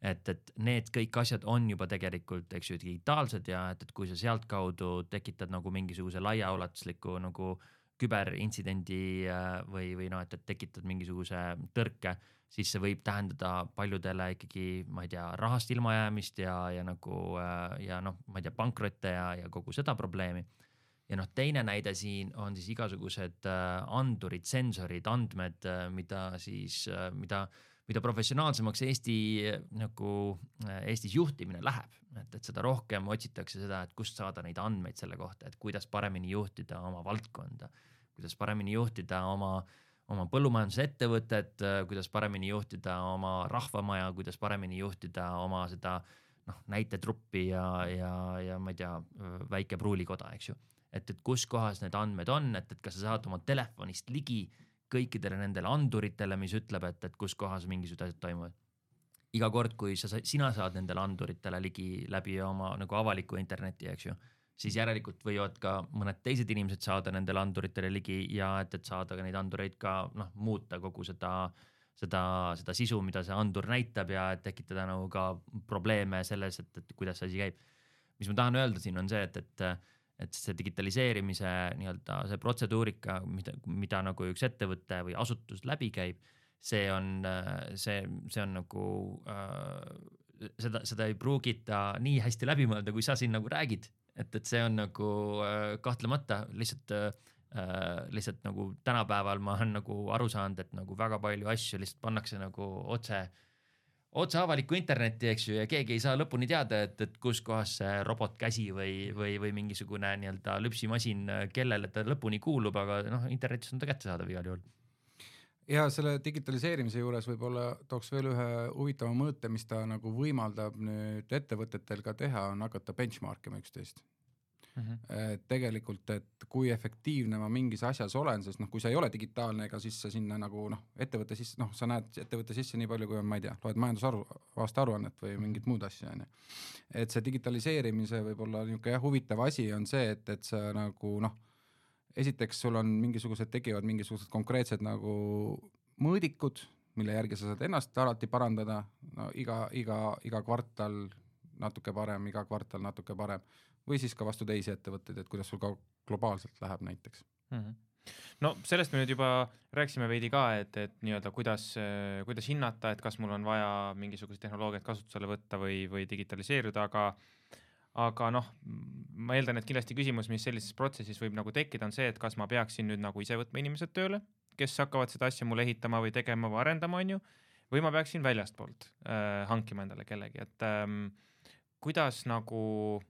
Et, et need kõik asjad on juba tegelikult, eks ju, digitaalsed ja et, et kui sa sealt kaudu tekitad nagu mingisuguse laiaulatusliku nagu küberintsidendi äh, või, või noh, et, et tekitad mingisuguse tõrke, siis see võib tähendada paljudele ikkagi, ma ei tea, rahast ilmajäämist ja, ja nagu äh, ja noh, ma ei tea, pankrotte ja, ja kogu seda probleemi. Ja noh, teine näide siin on siis igasugused andurid, sensorid, andmed, mida siis, mida, mida professionaalsemaks Eesti, nagu Eestis juhtimine läheb. Et, et seda rohkem otsitakse seda, et kust saada neid andmeid selle kohta, et kuidas paremini juhtida oma valdkonda, kuidas paremini juhtida oma, oma põllumajandusettevõtet, kuidas paremini juhtida oma rahvamaja, kuidas paremini juhtida oma seda noh, näitetruppi ja, ja, ja ma ei tea, väike pruulikoda, eks ju. Et, et kus kohas need andmed on, et, et kas sa saad oma telefonist ligi kõikidele nendele anduritele, mis ütleb, et, et kus kohas mingisugused asjad toimuvad. Iga kord, kui sa, sina saad nendele anduritele ligi läbi oma nagu avaliku interneti, eks ju, siis järelikult võivad ka mõned teised inimesed saada nendele anduritele ligi ja et, et saada ka neid andureid ka noh, muuta kogu seda, seda, seda sisu, mida see andur näitab ja tekitada nagu ka probleeme selles, et, et kuidas see asi käib. Mis ma tahan öelda siin on see, et, et et see digitaliseerimise nii-öelda see protseduurika, mida, mida nagu üks ettevõte või asutus läbi käib, see on, see, see on nagu, äh, seda, seda ei pruugita nii hästi läbi mõelda, kui sa siin nagu räägid, et, et see on nagu äh, kahtlemata lihtsalt, äh, lihtsalt nagu tänapäeval ma olen nagu aru saanud, et nagu väga palju asju lihtsalt pannakse nagu otse otse avalikku internetti, eks ju, ja keegi ei saa lõpuni teada, et, et kus kohas see robotkäsi või, või, või mingisugune nii-öelda lüpsimasin, kellele ta lõpuni kuulub, aga noh, internetis on ta kättesaadav igal juhul. Ja selle digitaliseerimise juures võib-olla tooks veel ühe huvitava mõõte, mis ta nagu võimaldab nüüd ettevõtetel ka teha, on hakata benchmarkima üksteist. Mm-hmm. Et tegelikult, et kui efektiivne ma mingis asjas olen, sest noh, kui sa ei ole digitaalne, ega siis sa sinna nagu noh, ettevõtte sisse, noh, sa näed ettevõtte sisse nii palju, kui on, ma ei tea, loed majandusaru, aasta aruannet või mingit muud asja, on ju. Et see digitaliseerimise võib-olla niisugune jah, huvitav asi on see, et, et sa nagu noh, esiteks sul on mingisugused, tegivad mingisugused konkreetsed nagu mõõdikud, mille järgi sa saad ennast alati parandada, no iga, iga, iga kvartal natuke parem, iga kvartal natuke parem, või siis ka vastu teisi ettevõtteid, et kuidas sul ka globaalselt läheb näiteks. Mm-hmm. No sellest me nüüd juba rääksime veidi ka, et, et nii-öelda kuidas, kuidas hinnata, et kas mul on vaja mingisugused tehnoloogiat kasutusele võtta või, või digitaliseeruda, aga, aga noh, ma eeldan, et kindlasti küsimus, mis sellises protsessis võib nagu tekkida, on see, et kas ma peaksin nüüd nagu ise võtma inimesed tööle, kes hakkavad seda asja mulle ehitama või tegema või arendama, on ju, või ma peaksin väljastpoolt äh, hankima endale kellegi, et ähm, kuidas nagu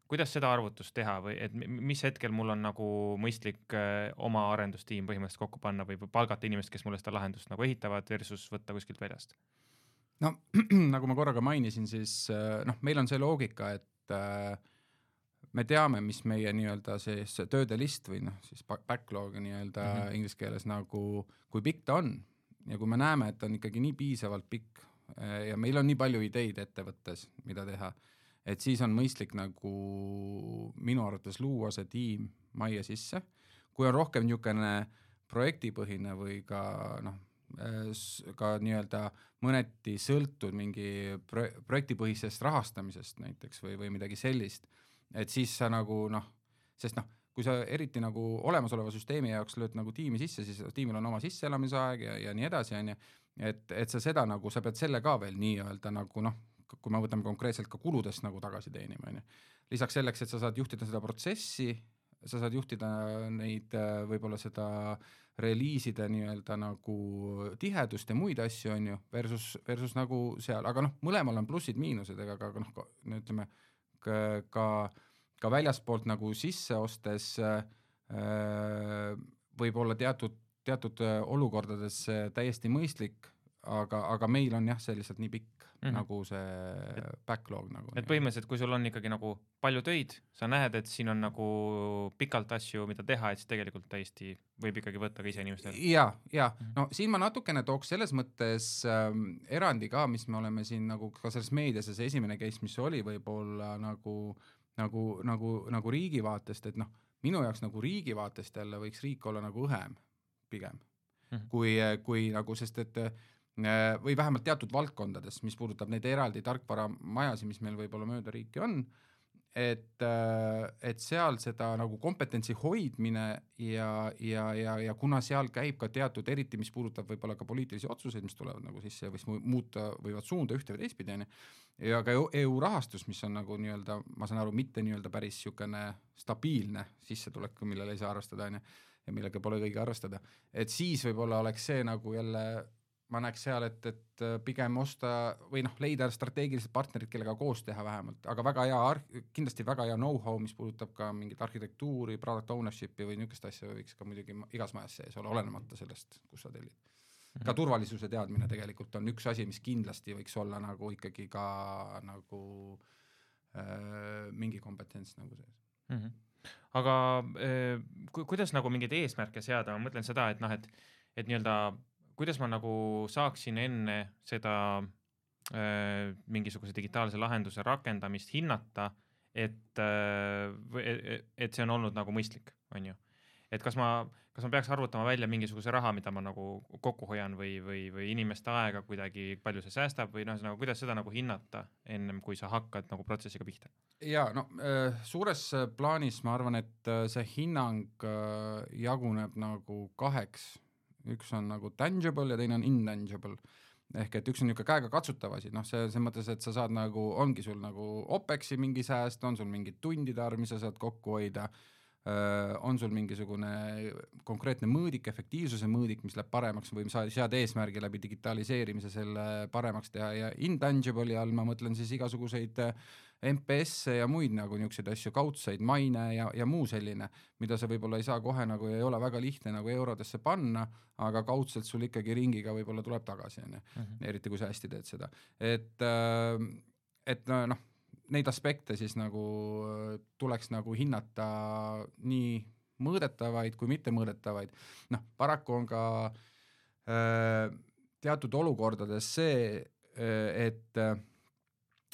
kuidas seda arvutust teha või et mis hetkel mul on nagu mõistlik oma arendustiim põhimõtteliselt kokku panna või palgata inimest, kes mulle seda lahendust nagu ehitavad versus võtta kuskilt väljast? No nagu ma korraga mainisin, siis noh, meil on see loogika, et me teame, mis meie nii-öelda siis tööde list või noh, siis backlog nii-öelda mm-hmm. inglise keeles nagu, kui pikk ta on ja kui me näeme, et on ikkagi nii piisavalt pikk ja meil on nii palju ideid ettevõttes, mida teha, et siis on mõistlik nagu minu arvates luua see tiim majja sisse. Kui on rohkem niisugune projektipõhine või ka noh, ka nii-öelda mõneti sõltud mingi pro- projektipõhisest rahastamisest näiteks või, või midagi sellist, et siis sa nagu noh, sest noh, kui sa eriti nagu olemasoleva süsteemi jaoks lööd nagu tiimi sisse, siis tiimil on oma sisseelamisaeg ja, ja nii edasi, on ju, et, et sa seda nagu, sa pead selle ka veel nii-öelda nagu noh, kui me võtame konkreetselt ka kuludest nagu tagasi teenima, on ju. Lisaks selleks, et sa saad juhtida seda protsessi, sa saad juhtida neid võib-olla seda reliiside nii-öelda nagu tihedust ja muid asju, on ju, versus, versus nagu seal, aga noh, mõlemal on plussid-miinused, ega ka noh, ütleme ka, ka, ka väljaspoolt nagu sisse ostes äh, võib olla teatud, teatud olukordades täiesti mõistlik, aga, aga meil on jah, see lihtsalt nii pikk mm-hmm. nagu see backlog nagu. Et põhimõtteliselt, kui sul on ikkagi nagu palju töid, sa näed, et siin on nagu pikalt asju, mida teha, et siis tegelikult täiesti võib ikkagi võtta ka ise inimestel. Ja, ja mm-hmm. no siin ma natukene tooks selles mõttes ähm, erandi ka, mis me oleme siin nagu ka selles meedias ja see esimene case, mis oli võib-olla nagu, nagu, nagu, nagu riigi vaatest, et noh, minu jaoks nagu riigi vaatest jälle võiks riik olla nagu õhem pigem mm-hmm. kui, kui nagu, sest et või vähemalt teatud valdkondades, mis puudutab neid eraldi tarkvara majasi, mis meil võib-olla mööda riiki on, et, et seal seda nagu kompetentsi hoidmine ja, ja, ja, ja kuna seal käib ka teatud, eriti mis puudutab võib-olla ka poliitilisi otsuseid, mis tulevad nagu sisse ja mis muuta võivad suunda ühte või teistpidi, ja ka E U rahastus, mis on nagu nii-öelda, ma saan aru, mitte nii-öelda päris niisugune stabiilne sissetulek, millele ei saa arvestada, ja millega pole kõige arvestada, et siis võib-olla oleks see nagu jälle ma näeks seal, et, et pigem osta või noh, leida strateegilised partnerid, kellega koos teha vähemalt, aga väga hea, kindlasti väga hea know-how, mis puudutab ka mingit arhitektuuri, product ownershipi või niisugust asja võiks ka muidugi igas majas sees olla, olenemata sellest, kus sa tellid. Ka turvalisuse teadmine tegelikult on üks asi, mis kindlasti võiks olla nagu ikkagi ka nagu äh, mingi kompetents nagu sees. Mm-hmm. Aga äh, ku- kuidas nagu mingeid eesmärke seada, ma mõtlen seda, et noh, et, et nii-öelda kuidas ma nagu saaksin enne seda äh, mingisuguse digitaalse lahenduse rakendamist hinnata, et, äh, et see on olnud nagu mõistlik, on ju. Et kas ma, kas ma peaks arvutama välja mingisuguse raha, mida ma nagu kokku hoian või, või, või inimeste aega kuidagi, palju see säästab või noh, nagu, kuidas seda nagu hinnata ennem, kui sa hakkad nagu protsessiga pihta? Ja no suures plaanis ma arvan, et see hinnang jaguneb nagu kaheks. Üks on nagu tangible ja teine on intangible. Ehk et üks on niisugune käega katsutav asi, noh see, see mõttes, et sa saad nagu, ongi sul nagu OPEX-i mingi sääst, on sul mingi tundide arv, mis sa saad kokku hoida, on sul mingisugune konkreetne mõõdik, efektiivsuse mõõdik, mis läheb paremaks või sa sead eesmärgi läbi digitaliseerimise selle paremaks teha ja intangible all ma mõtlen siis igasuguseid M P S ja muid nagu niisuguseid asju, kaudseid, maine ja, ja muu selline, mida sa võib-olla ei saa kohe nagu ei ole väga lihtne nagu eurodesse panna, aga kaudselt sul ikkagi ringiga võib-olla tuleb tagasi, mm-hmm. eriti kui sa hästi teed seda. Et, et noh, neid aspekte siis nagu tuleks nagu hinnata nii mõõdetavaid kui mitte mõõdetavaid. Noh, paraku on ka äh, teatud olukordades see, et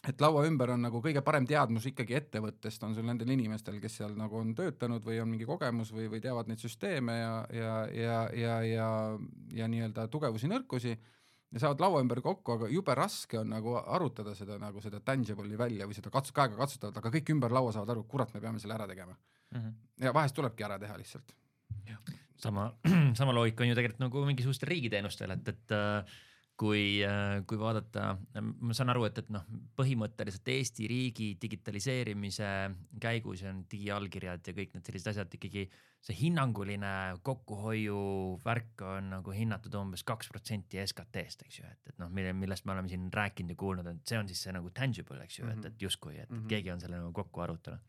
et laua ümber on nagu kõige parem teadmus ikkagi ettevõttest on sul nendel inimestel, kes seal nagu on töötanud või on mingi kogemus või, või teavad neid süsteeme ja, ja, ja, ja, ja, ja nii-öelda tugevusi, nõrkusi ja saavad laua ümber kokku, aga jube raske on nagu arutada seda, nagu seda tangible'i välja või seda katsu, käega katsutavat, aga kõik ümber laua saavad aru, kurat, me peame selle ära tegema. Mm-hmm. Ja vahest tulebki ära teha lihtsalt. Sama, sama loogika on ju tegelikult nagu mingisugustel riigiteenustel, et, et kui, kui vaadata, ma saan aru, et, et noh, põhimõtteliselt Eesti riigi digitaliseerimise käigus on digiallkirjad ja kõik need sellised asjad ikkagi see hinnanguline kokkuhoiu värk on nagu hinnatud umbes kaks protsenti S K T-st, eks ju, et, et noh, millest me oleme siin rääkinud ja kuulnud, et see on siis see nagu tangible, eks ju, et, et justkui, et, et keegi on selle nagu kokku arutanud.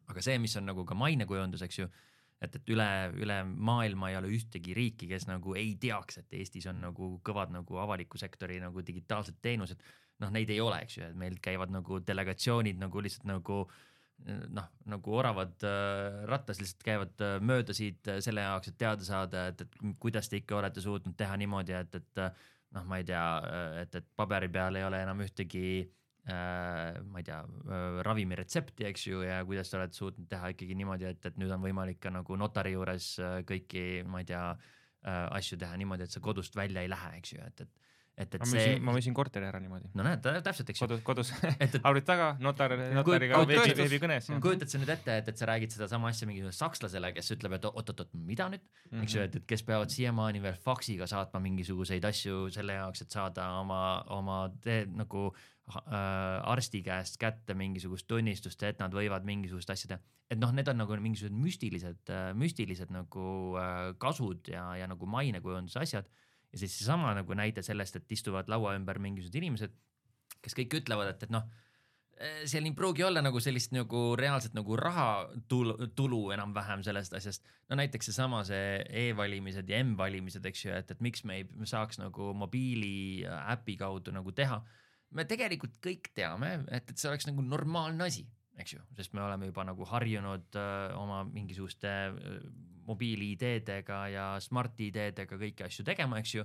Aga see, mis on nagu ka mainekujundus, eks ju, et, et üle, üle maailma ei ole ühtegi riiki, kes nagu ei teaks, et Eestis on nagu kõvad nagu avaliku sektori nagu digitaalsed teenused. Noh, neid ei ole, eks ju, et meil käivad nagu delegatsioonid nagu lihtsalt nagu noh, nagu oravad äh, rattas lihtsalt käivad äh, mööda siit äh, selle jaoks, et teada saada, et, et kuidas te ikka olete suutnud teha niimoodi, et, et noh, ma ei tea, et, et paberi peal ei ole enam ühtegi Äh, ma ei tea, äh, ravimiretsepti, eks ju, ja kuidas te olete suutnud teha ikkagi niimoodi, et, et nüüd on võimalik ka nagu notari juures äh, kõiki, ma ei tea, äh, asju teha niimoodi, et sa kodust välja ei lähe, eks ju, et, et et, et ma see... müüsin, ma müüsin korteri ära niimoodi. No näed, täpselt, eks ju. Kodus, kodus. et, et... arvud taga, notar, notariga veebi, veebi kõnes. Kujutad sa nüüd ette, et, et sa räägid seda sama asja mingi sakslasele, kes ütleb, et oot-oot-oot, mida nüüd? Mm-hmm. Eks ju, et, et kes peavad siiamaani veel faksiga saatma mingisuguseid asju selle jaoks, et saada oma, oma te, nagu äh, arsti käest kätte mingisugust tunnistust, et nad võivad mingisugust asja teha. Et noh, need on nagu mingisugused müstilised, müstilised nagu äh, kasud ja, ja nagu mainekujunduse asjad. Ja siis sama nagu näide sellest, et istuvad laua ümber mingisugused inimesed, kes kõik ütlevad, et, et noh, seal ei pruugi olla nagu sellist nagu reaalselt nagu raha tulu, tulu enam-vähem sellest asjast. No näiteks see sama see e-valimised ja M-valimised, eks ju, et, et miks me ei saaks nagu mobiili äpi kaudu nagu teha. Me tegelikult kõik teame, et, et see oleks nagu normaalne asi, eks ju, sest me oleme juba nagu harjunud öö, oma mingisuguste öö, mobiili-ideedega ja smart-ideedega kõiki asju tegema, eks ju,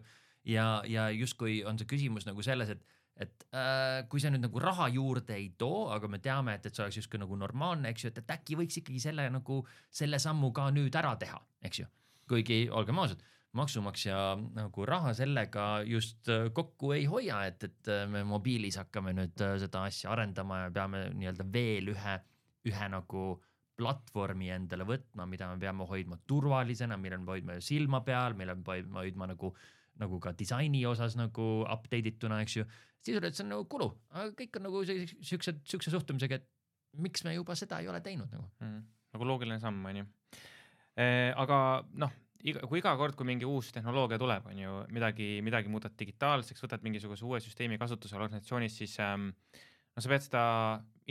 ja, ja justkui on see küsimus nagu selles, et, et äh, kui see nüüd nagu raha juurde ei too, aga me teame, et, et see oleks justkui nagu normaalne, eks ju, et, et äkki võiks ikkagi selle nagu selle sammu ka nüüd ära teha, eks ju, kuigi olgem ausad, maksumaksja nagu raha sellega just kokku ei hoia, et, et me mobiilis hakkame nüüd seda asja arendama ja peame nii-öelda veel ühe, ühe nagu platvormi endale võtma, mida me peame hoidma turvalisena, mille me hoidma silma peal, mille me peame hoidma nagu, nagu ka disaini osas nagu update ituna, eks ju. Siis oli, et see on nagu kulu, aga kõik on nagu siukse, siukse suhtumisega, et miks me juba seda ei ole teinud nagu. Mm, nagu loogiline samm, on ju. E, aga noh, iga, kui iga kord, kui mingi uus tehnoloogia tuleb, on ju, midagi, midagi muudad digitaalseks, võtad mingisuguse uue süsteemi kasutusele organisatsioonis, siis ähm, no sa pead seda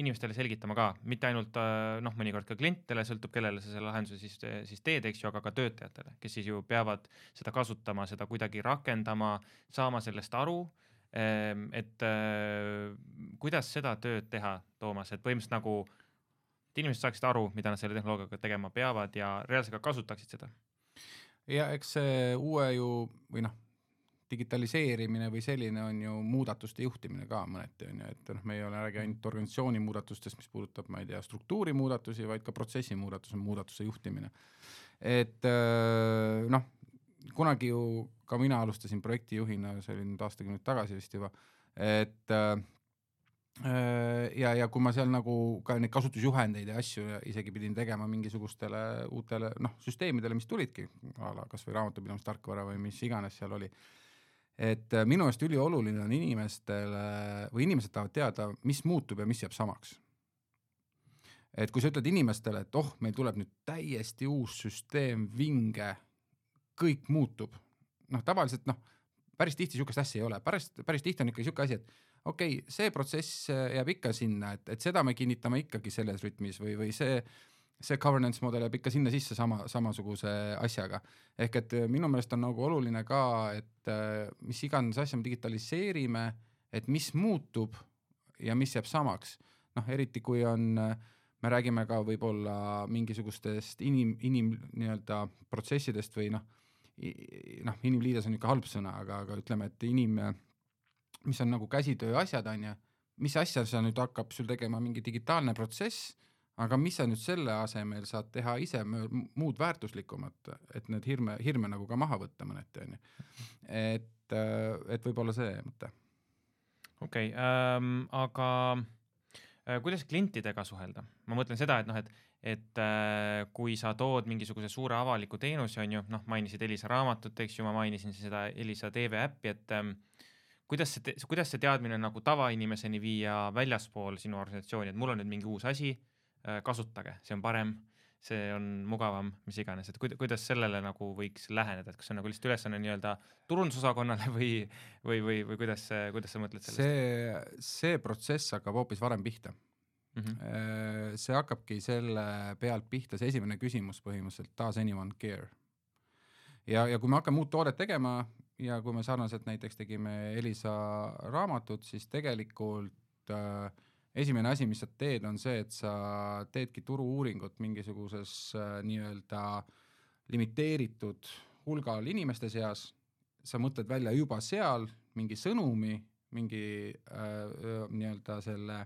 inimestele selgitama ka, mitte ainult noh, mõnikord ka klientidele, sõltub kellele sa selle lahenduse siis, siis teed, eks ju, aga ka töötajatele, kes siis ju peavad seda kasutama, seda kuidagi rakendama, saama sellest aru, et kuidas seda tööd teha, Toomas, et põhimõtteliselt nagu, et inimesed saaksid aru, mida nad selle tehnoloogiaga tegema peavad ja reaalselt ka kasutaksid seda. Ja eks see uue ju, või noh, digitaliseerimine või selline on ju muudatuste juhtimine ka mõneti on ju, et noh, me ei ole räägi ainult organisatsiooni muudatustest, mis puudutab, ma ei tea, struktuuri muudatusi, vaid ka protsessi muudatuse, muudatuse juhtimine. Et noh, kunagi ju ka mina alustasin projektijuhina, see oli nüüd aastakümneid tagasi vist juba, et ja, ja kui ma seal nagu ka neid kasutusjuhendeid ja asju isegi pidin tegema mingisugustele uutele noh, süsteemidele, mis tulidki, kas või raamatupidamist tarkvara või mis iganes seal oli, et minu eest ülioluline on inimestele või inimesed tahavad teada, mis muutub ja mis jääb samaks. Et kui sa ütled inimestele, et oh, meil tuleb nüüd täiesti uus süsteem, vinge, kõik muutub, noh tavaliselt noh, päris tihti sihukest asja ei ole, päris, päris tihti on ikka sihuke asi, et okei, okay, see protsess jääb ikka sinna, et, et seda me kinnitame ikkagi selles rütmis või, või see see governance model jääb ikka sinna sisse sama, samasuguse asjaga. Ehk et minu meelest on nagu oluline ka, et mis iganes asja me digitaliseerime, et mis muutub ja mis jääb samaks. Noh, eriti kui on, me räägime ka võib-olla mingisugustest inim, inim nii-öelda protsessidest või noh, noh inimliides on ikka halb sõna, aga, aga ütleme, et inim, mis on nagu käsitöö asjad on ja mis asja sa nüüd hakkab sul tegema mingi digitaalne protsess, aga mis sa nüüd selle asemel saad teha ise muud väärtuslikumat, et need hirme, hirme nagu ka maha võtta mõneti on ju. Et, et võib-olla see mõte. Okei, okay, ähm, aga äh, kuidas klientidega suhelda? Ma mõtlen seda, et, noh, et, et äh, kui sa tood mingisuguse suure avaliku teenuse, on ju, noh, mainisid Elisa raamatut, eks ju, ma mainisin seda Elisa T V äppi, et ähm, kuidas see, kuidas see teadmine nagu tavainimeseni viia väljaspool sinu organisatsiooni, et mul on nüüd mingi uus asi, kasutage, see on parem, see on mugavam, mis iganes, et kuidas sellele nagu võiks läheneda, et kas see on nagu lihtsalt ülesanne nii-öelda turundusosakonnale või, või, või, või kuidas, kuidas sa mõtled sellest? See, see protsess hakkab hoopis varem pihta. Mm-hmm. See hakkabki selle pealt pihta, see esimene küsimus põhimõtteliselt, does anyone care? Ja, ja kui me hakkame uut toodet tegema ja kui me sarnaselt näiteks tegime Elisa raamatut, siis tegelikult äh, esimene asi, mis sa teed, on see, et sa teedki turu-uuringut mingisuguses äh, nii-öelda limiteeritud hulgal inimeste seas. Sa mõtled välja juba seal mingi sõnumi, mingi äh, nii-öelda selle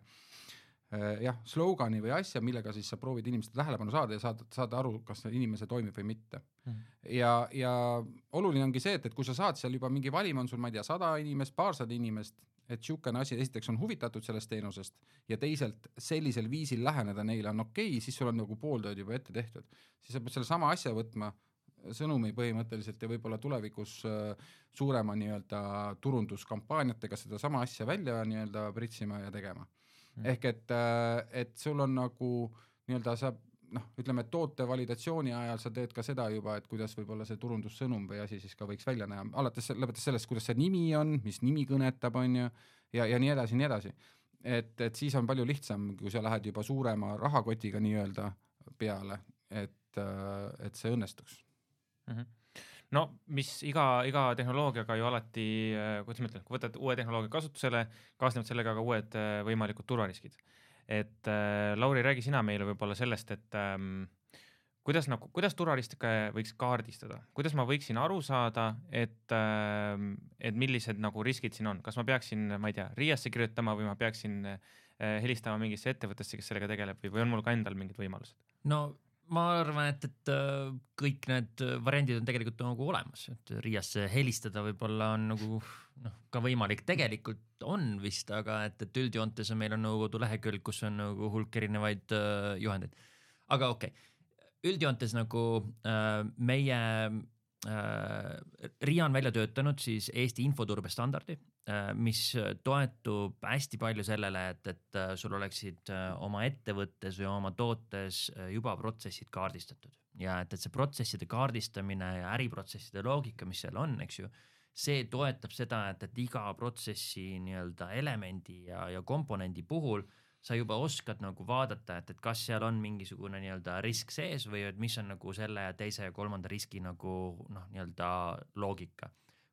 jah, slogani või asja, millega siis sa proovid inimeste tähelepanu saada ja saada, saada aru, kas inimese toimib või mitte. Mm. Ja, ja oluline ongi see, et, et kui sa saad seal juba mingi valim, on sul, ma ei tea, sada inimest, paarsada inimest, et siukene asi esiteks on huvitatud sellest teenusest ja teisalt sellisel viisil läheneda neile on okei okay,, siis sul on nagu pooltööd juba ette tehtud. Siis sa pead selle sama asja võtma sõnumi põhimõtteliselt ja võib-olla tulevikus suurema nii-öelda turunduskampaaniatega seda sama asja välja nii-öelda pritsima ja tegema. Mm. Ehk et, et sul on nagu nii-öelda sa, noh, ütleme, et toote validatsiooni ajal sa teed ka seda juba, et kuidas võib-olla see turundussõnum või asi siis ka võiks välja näha. Alates lõpetas sellest, kuidas see nimi on, mis nimi kõnetab, on ju, ja, ja nii edasi, nii edasi. Et, et siis on palju lihtsam, kui sa lähed juba suurema rahakotiga nii-öelda peale, et, et see õnnestuks. Mm-hmm. No mis iga, iga tehnoloogiaga ju alati, kuidas ma ütlen, kui võtad uue tehnoloogia kasutusele, kaasnevad sellega ka uued võimalikud turvariskid. Et äh, Lauri, räägi sina meile võib-olla sellest, et ähm, kuidas, nagu, kuidas turvariske võiks kaardistada? Kuidas ma võiksin aru saada, et, äh, et millised nagu riskid siin on? Kas ma peaksin, ma ei tea, riiasse kirjutama või ma peaksin äh, helistama mingisse ettevõttesse, kes sellega tegeleb või, või on mul ka endal mingid võimalused? No ma arvan, et, et kõik need variandid on tegelikult nagu olemas, et riiasse helistada võib-olla on nagu noh, ka võimalik, tegelikult on vist, aga et, et üldjoontes on meil on nagu kodulehekülg, kus on nagu hulk erinevaid uh, juhendeid. Aga okei, okay. Üldjoontes nagu uh, meie uh, RIA on välja töötanud siis Eesti infoturbe standardi, uh, mis toetub hästi palju sellele, et, et uh, sul oleksid uh, oma ettevõttes või oma tootes uh, juba protsessid kaardistatud. Ja et, et see protsesside kaardistamine ja äriprotsesside loogika, mis seal on, eks ju, see toetab seda, et, et iga protsessi nii-öelda elemendi ja, ja komponendi puhul sa juba oskad nagu vaadata, et, et kas seal on mingisugune nii-öelda risk sees või et mis on nagu selle ja teise ja kolmanda riski nagu noh, nii-öelda loogika.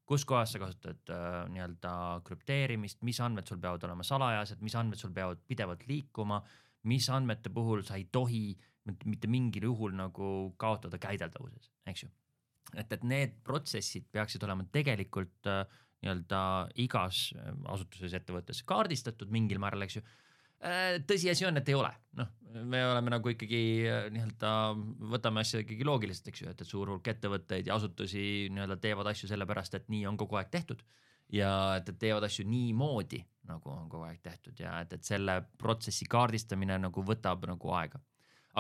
Kus kohas sa kasutad äh, nii-öelda krüpteerimist, mis andmed sul peavad olema salajased, mis andmed sul peavad pidevalt liikuma, mis andmete puhul sa ei tohi mitte mingil juhul nagu kaotada käideldavuses, eks ju. Et, et need protsessid peaksid olema tegelikult äh, nii-öelda igas asutuses ettevõttes kaardistatud mingil määral, eks ju. Tõsiasi on, et ei ole. Noh, me oleme nagu ikkagi nii-öelda, võtame asja ikkagi loogiliselt, eks ju, et, et suur hulk ettevõtteid ja asutusi nii-öelda teevad asju sellepärast, et nii on kogu aeg tehtud ja et, et teevad asju nii moodi, nagu on kogu aeg tehtud ja et, et selle protsessi kaardistamine nagu võtab nagu aega.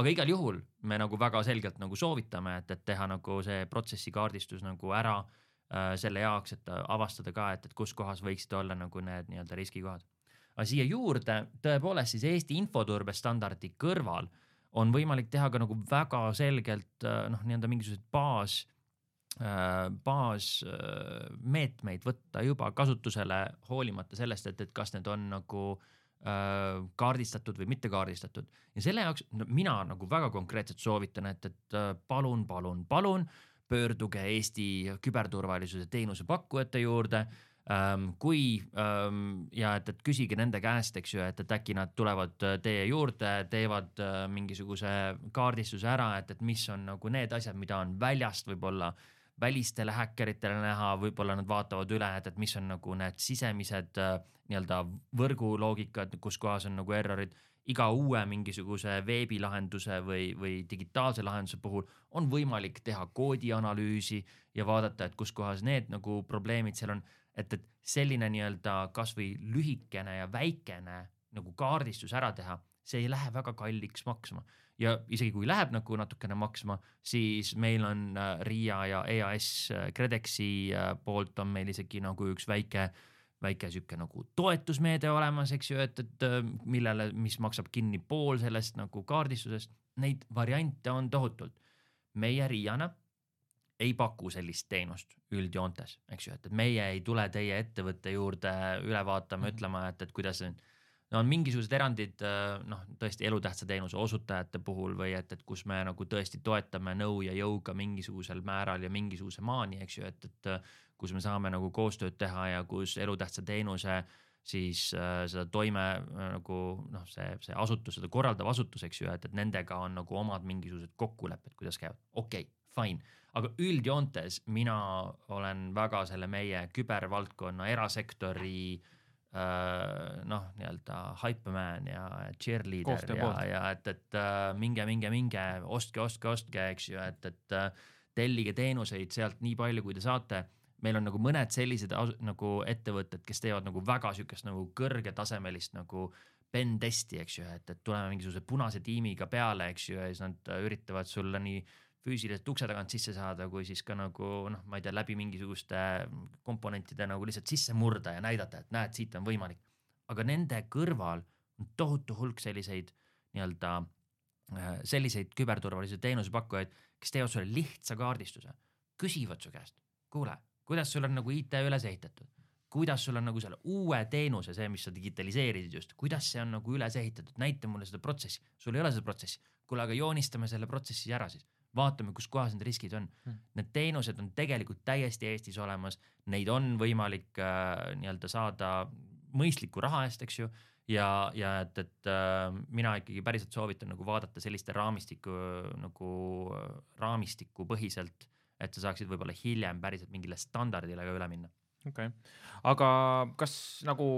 Aga igal juhul me nagu väga selgelt nagu soovitame, et, et teha nagu see protsessi kaardistus nagu ära äh, selle jaoks, et avastada ka, et, et kus kohas võiksid olla nagu need nii-öelda riskikohad. Aga siia juurde tõepoolest siis Eesti infoturbe standardi kõrval on võimalik teha ka nagu väga selgelt noh, nii-öelda mingisugused baas, baas meetmeid võtta juba kasutusele hoolimata sellest, et, et kas need on nagu kaardistatud või mitte kaardistatud. Ja selle jaoks no, mina nagu väga konkreetselt soovitan, et, et palun, palun, palun pöörduge Eesti küberturvalisuse teenuse pakkujate juurde, kui ja et, et küsige nende käest, eks ju, et, et äkki nad tulevad teie juurde, teevad mingisuguse kaardistuse ära, et, et mis on nagu need asjad, mida on väljast võib-olla välistele häkkeritele näha, võib-olla nad vaatavad üle, et, et mis on nagu need sisemised nii-öelda võrguloogikad, kus kohas on nagu errorid. Iga uue mingisuguse veebilahenduse või, või digitaalse lahenduse puhul on võimalik teha koodianalüüsi ja vaadata, et kus kohas need nagu probleemid seal on. Et, et selline nii-öelda kas või lühikene ja väikene nagu kaardistus ära teha, see ei lähe väga kalliks maksma. Ja isegi kui läheb nagu natukene maksma, siis meil on RIA ja E A S Credexi poolt on meil isegi nagu üks väike, väike süke nagu toetusmeede olemas, eks ju, et, et millele, mis maksab kinni pool sellest nagu kaardistusest. Neid variante on tohutult. Meie RIA-na ei paku sellist teenust üldjoontes, eks ju, et meie ei tule teie ettevõtte juurde üle vaatama, ütlema, et, et kuidas no, on mingisugused erandid noh, tõesti elutähtsa teenuse osutajate puhul või et, et kus me nagu tõesti toetame nõu ja jõuga mingisugusel määral ja mingisuguse maani, eks ju, et, et kus me saame nagu koostööd teha ja kus elutähtsa teenuse siis äh, seda toime äh, nagu noh, see, see asutus, seda korraldav asutus, eks ju, et, et nendega on nagu omad mingisugused kokkulepped, kuidas käivad. Okei, okay, fine. Aga üldjoontes mina olen väga selle meie kübervaldkonna erasektori noh, nii-öelda hypeman ja cheerleader ja, ja et, et minge, minge, minge, ostke, ostke, ostke, eks ju, et, et tellige teenuseid sealt nii palju, kui te saate. Meil on nagu mõned sellised nagu ettevõtted, kes teevad nagu väga sükest nagu kõrgetasemelist nagu pen testi, eks ju, et, et tuleme mingisuguse punase tiimiga peale, eks ju, ja siis nad üritavad sulle nii füüsiliselt ukse tagant sisse saada, kui siis ka nagu, noh, ma ei tea, läbi mingisuguste komponentide nagu lihtsalt sisse murda ja näidata, et näed, siit on võimalik. Aga nende kõrval on tohutu hulk selliseid nii-öelda selliseid küberturvalisuse teenusepakkujaid, kes teevad sulle lihtsa kaardistuse, küsivad su käest, kuule, kuidas sul on nagu I T üles ehitatud, kuidas sul on nagu selle uue teenuse, see, mis sa digitaliseerisid just, kuidas see on nagu üles ehitatud, näita mulle seda protsessi, sul ei ole seda protsessi, kuule, aga joonistame selle protsessi ära siis. Vaatame, kus kohas need riskid on. Hmm. Need teenused on tegelikult täiesti Eestis olemas, neid on võimalik äh, nii-öelda saada mõistliku raha eest, eks ju, ja, ja et, et äh, mina ikkagi päriselt soovitan nagu vaadata selliste raamistiku, nagu raamistiku põhiselt, et sa saaksid võib-olla hiljem päriselt mingile standardile ka üle minna. Okay. Aga kas nagu,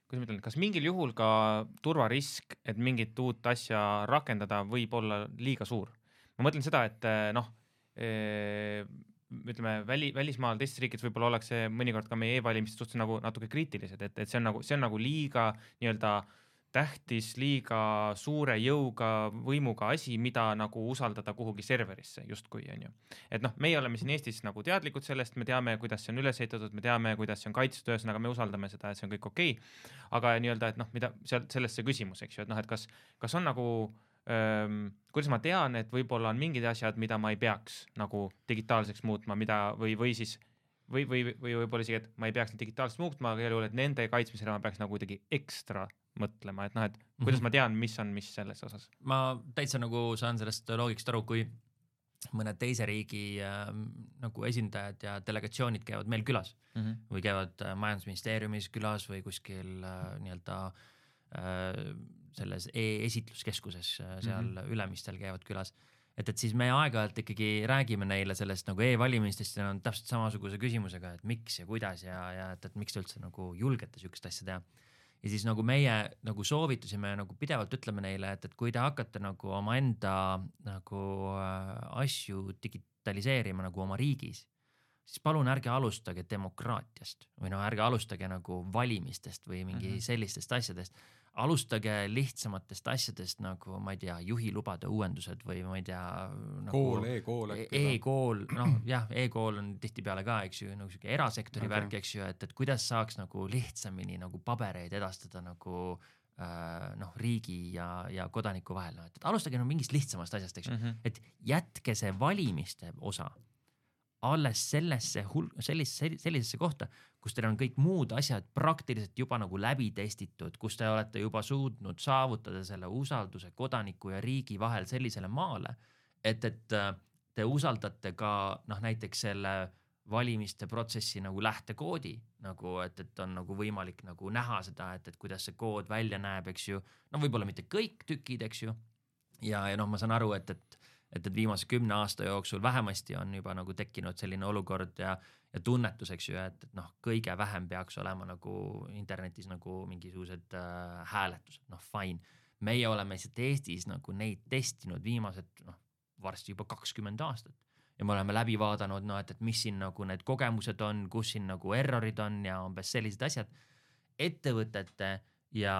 kuidas ma ütlen, kas mingil juhul ka turvarisk, et mingit uut asja rakendada, võib olla liiga suur? Ma mõtlen seda, et noh, ütleme, väli, välismaal teistes riikides võib-olla ollakse mõnikord ka meie e-valimiste suhtes nagu natuke kriitilised, et, et see on nagu, see on nagu liiga nii-öelda tähtis, liiga suure jõuga, võimuga asi, mida nagu usaldada kuhugi serverisse justkui, on ju. Et noh, meie oleme siin Eestis nagu teadlikud sellest, me teame, kuidas see on üles ehitatud, me teame, kuidas see on kaitstud, ühesõnaga me usaldame seda, et see on kõik okei. Aga nii-öelda, et noh, mida seal, sellest see küsimus, eks ju, et noh, et kas, kas on nagu Öm, kuidas ma tean, et võib-olla on mingid asjad, mida ma ei peaks nagu digitaalseks muutma, mida või, või siis või, või, või võib-olla isegi, et ma ei peaks digitaalseks muutma, aga juhul, et nende kaitsmisele ma peaks nagu kuidagi ekstra mõtlema, et noh, et kuidas ma tean, mis on mis selles osas. Ma täitsa nagu saan sellest loogikast aru, kui mõne teise riigi äh, nagu esindajad ja delegatsioonid käivad meil külas mm-hmm. või käivad äh, majandusministeeriumis külas või kuskil äh, nii-öelda äh, selles e-esitluskeskuses seal mm-hmm. ülemistel käivad külas. Et, et siis me aeg-ajalt ikkagi räägime neile sellest nagu e-valimistest ja on täpselt samasuguse küsimusega, et miks ja kuidas ja, ja et, et miks te üldse nagu julgete sükest asja teha. Ja siis nagu meie nagu soovitusime nagu pidevalt ütleme neile, et, et kui te hakkate nagu oma enda nagu asju digitaliseerima nagu oma riigis, siis palun ärge alustage demokraatiast või no ärge alustage nagu valimistest või mingi mm-hmm. sellistest asjadest. Alustage lihtsamatest asjadest nagu, ma ei tea, juhilubade uuendused või ma ei tea nagu kool, e-kool e e-kool, noh jah, e-kool on tihtipeale ka, eks ju, nagu siuke erasektori okay. värk, eks ju, et, et kuidas saaks nagu lihtsamini nagu pabereid edastada nagu äh, noh, riigi ja, ja kodaniku vahel, no, et, et alustage no mingist lihtsamast asjast, eks ju, mm-hmm. et jätke see valimiste osa alles sellesse, sellisesse, sellisesse kohta, kus teil on kõik muud asjad praktiliselt juba nagu läbi testitud, kus te olete juba suutnud saavutada selle usalduse kodaniku ja riigi vahel sellisele maale, et, et te usaldate ka noh, näiteks selle valimiste protsessi nagu lähtekoodi, nagu, et, et on nagu võimalik nagu näha seda, et, et kuidas see kood välja näeb, eks ju, no võib-olla mitte kõik tükid, eks ju, ja, ja noh, ma saan aru, et, et et, et viimase kümne aasta jooksul vähemasti on juba nagu tekkinud selline olukord ja, ja tunnetus, eks ju, et, et noh, kõige vähem peaks olema nagu internetis nagu mingisugused äh, hääletused, noh fine. Meie oleme lihtsalt Eestis nagu neid testinud viimased noh, varsti juba kakskümmend aastat ja me oleme läbi vaadanud, no, et, et mis siin nagu need kogemused on, kus siin nagu errorid on ja umbes sellised asjad. Ettevõtete ja,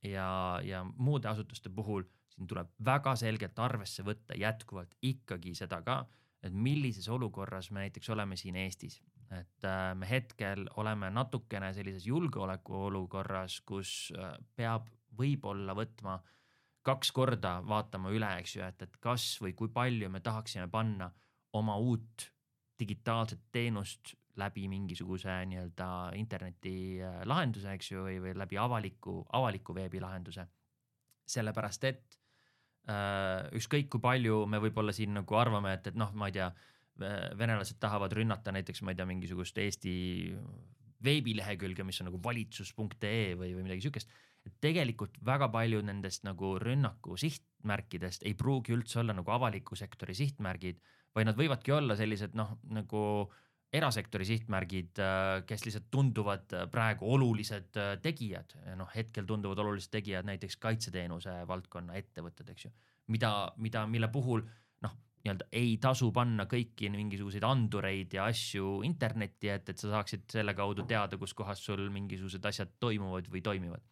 ja, ja muude asutuste puhul siin tuleb väga selgelt arvesse võtta jätkuvalt ikkagi seda ka, et millises olukorras me näiteks oleme siin Eestis. Et äh, me hetkel oleme natukene sellises julgeoleku olukorras, kus äh, peab võib-olla võtma kaks korda vaatama üle, eks ju, et, et kas või kui palju me tahaksime panna oma uut digitaalset teenust läbi mingisuguse nii-öelda interneti lahenduse, eks ju, või, või läbi avaliku, avaliku veebi lahenduse. Sellepärast, et ükskõik kui palju me võib-olla siin nagu arvame, et, et noh, ma ei tea, venelased tahavad rünnata näiteks, ma ei tea, mingisugust Eesti veebilehekülge, mis on nagu valitsus punkt ee või, või midagi sükest, et tegelikult väga palju nendest nagu rünnaku sihtmärkidest ei pruugi üldse olla nagu avaliku sektori sihtmärgid, vaid nad võivadki olla sellised noh, nagu erasektori sihtmärgid, kes lihtsalt tunduvad praegu olulised tegijad, noh hetkel tunduvad olulised tegijad näiteks kaitseteenuse valdkonna ettevõtted, eks ju, mida, mida, mille puhul noh, nii-öelda ei tasu panna kõiki mingisuguseid andureid ja asju internetti, et, et sa saaksid selle kaudu teada, kus kohas sul mingisugused asjad toimuvad või toimivad.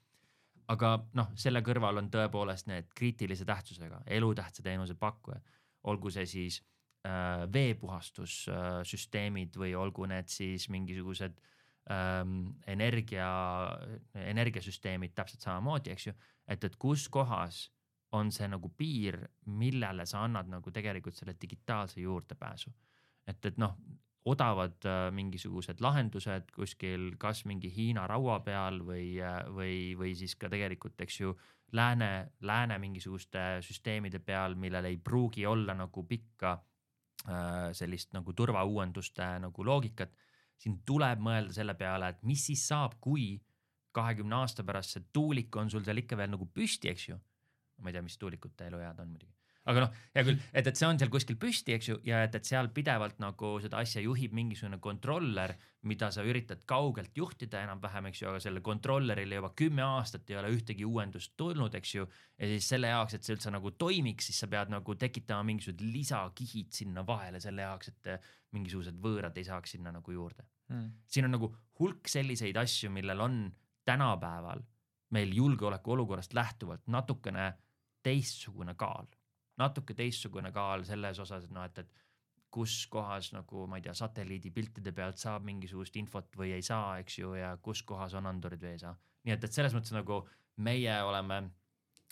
Aga noh, selle kõrval on tõepoolest need kriitilise tähtsusega, elutähtsa teenuse pakkujad, olgu see siis veepuhastussüsteemid või olgu need siis mingisugused ähm, energia, energiasüsteemid täpselt samamoodi, eks ju, et, et kus kohas on see nagu piir, millele sa annad nagu tegelikult selle digitaalse juurdepääsu. Et, et noh, odavad äh, mingisugused lahendused kuskil kas mingi Hiina raua peal või, või, või siis ka tegelikult, eks ju, lääne, lääne mingisuguste süsteemide peal, millel ei pruugi olla nagu pikka sellist nagu turvauuenduste nagu loogikat, siin tuleb mõelda selle peale, et mis siis saab, kui kahekümne aasta pärast see tuulik on sul seal ikka veel nagu püsti, eks ju. Ma ei tea, mis tuulikute eluead on muidugi. Aga noh, hea küll, et, et see on seal kuskil püsti, eks ju, ja et, et seal pidevalt nagu seda asja juhib mingisugune kontroller, mida sa üritad kaugelt juhtida enam-vähem, eks ju, aga selle kontrollerile juba kümme aastat ei ole ühtegi uuendust tulnud, eks ju, ja siis selle jaoks, et see üldse nagu toimiks, siis sa pead nagu tekitama mingisugused lisakihid sinna vahele selle jaoks, et mingisugused võõrad ei saaks sinna nagu juurde. Hmm. Siin on nagu hulk selliseid asju, millel on tänapäeval meil julgeoleku olukorrast lähtuvalt natukene teistsugune kaal. Natuke teistsugune kaal selles osas, et, no, et, et kus kohas nagu, ma ei tea, satelliidipiltide pealt saab mingisugust infot või ei saa, eks ju, ja kus kohas on andurid või ei saa. Nii et, et selles mõttes nagu meie oleme,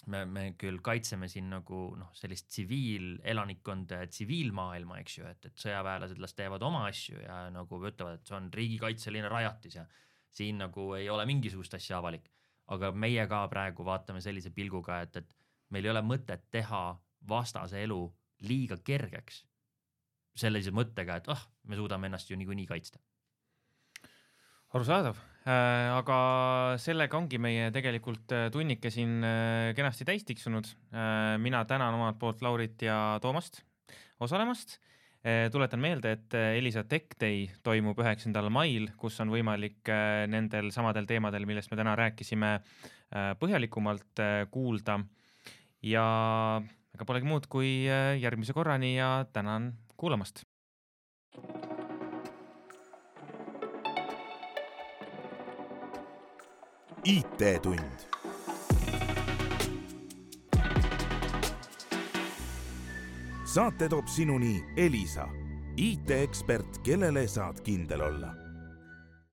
me, me küll kaitseme siin nagu noh, sellist tsiviilelanikkonda ja tsiviilmaailma, eks ju, et, et sõjaväelased las teevad oma asju ja nagu ütlevad, et see on riigikaitseline rajatis ja siin nagu ei ole mingisugust asja avalik. Aga meie ka praegu vaatame sellise pilguga, et, et meil ei ole mõtet teha vastase elu liiga kergeks sellise mõttega, et oh, me suudame ennast ju niikuinii kaitsta. Arusaadav, äh, aga sellega ongi meie tegelikult tunnike siin äh, kenasti täis tiksunud. Äh, mina tänan omalt poolt Laurit ja Toomast osalemast. Äh, tuletan meelde, et Elisa Tech Day toimub üheksandal mail, kus on võimalik äh, nendel samadel teemadel, millest me täna rääkisime, äh, põhjalikumalt äh, kuulda. Ja ega polegi muud kui järgmise korrani ja tänan kuulamast. I T-tund. Saate toob sinuni Elisa, I T-ekspert, kellele saad kindel olla.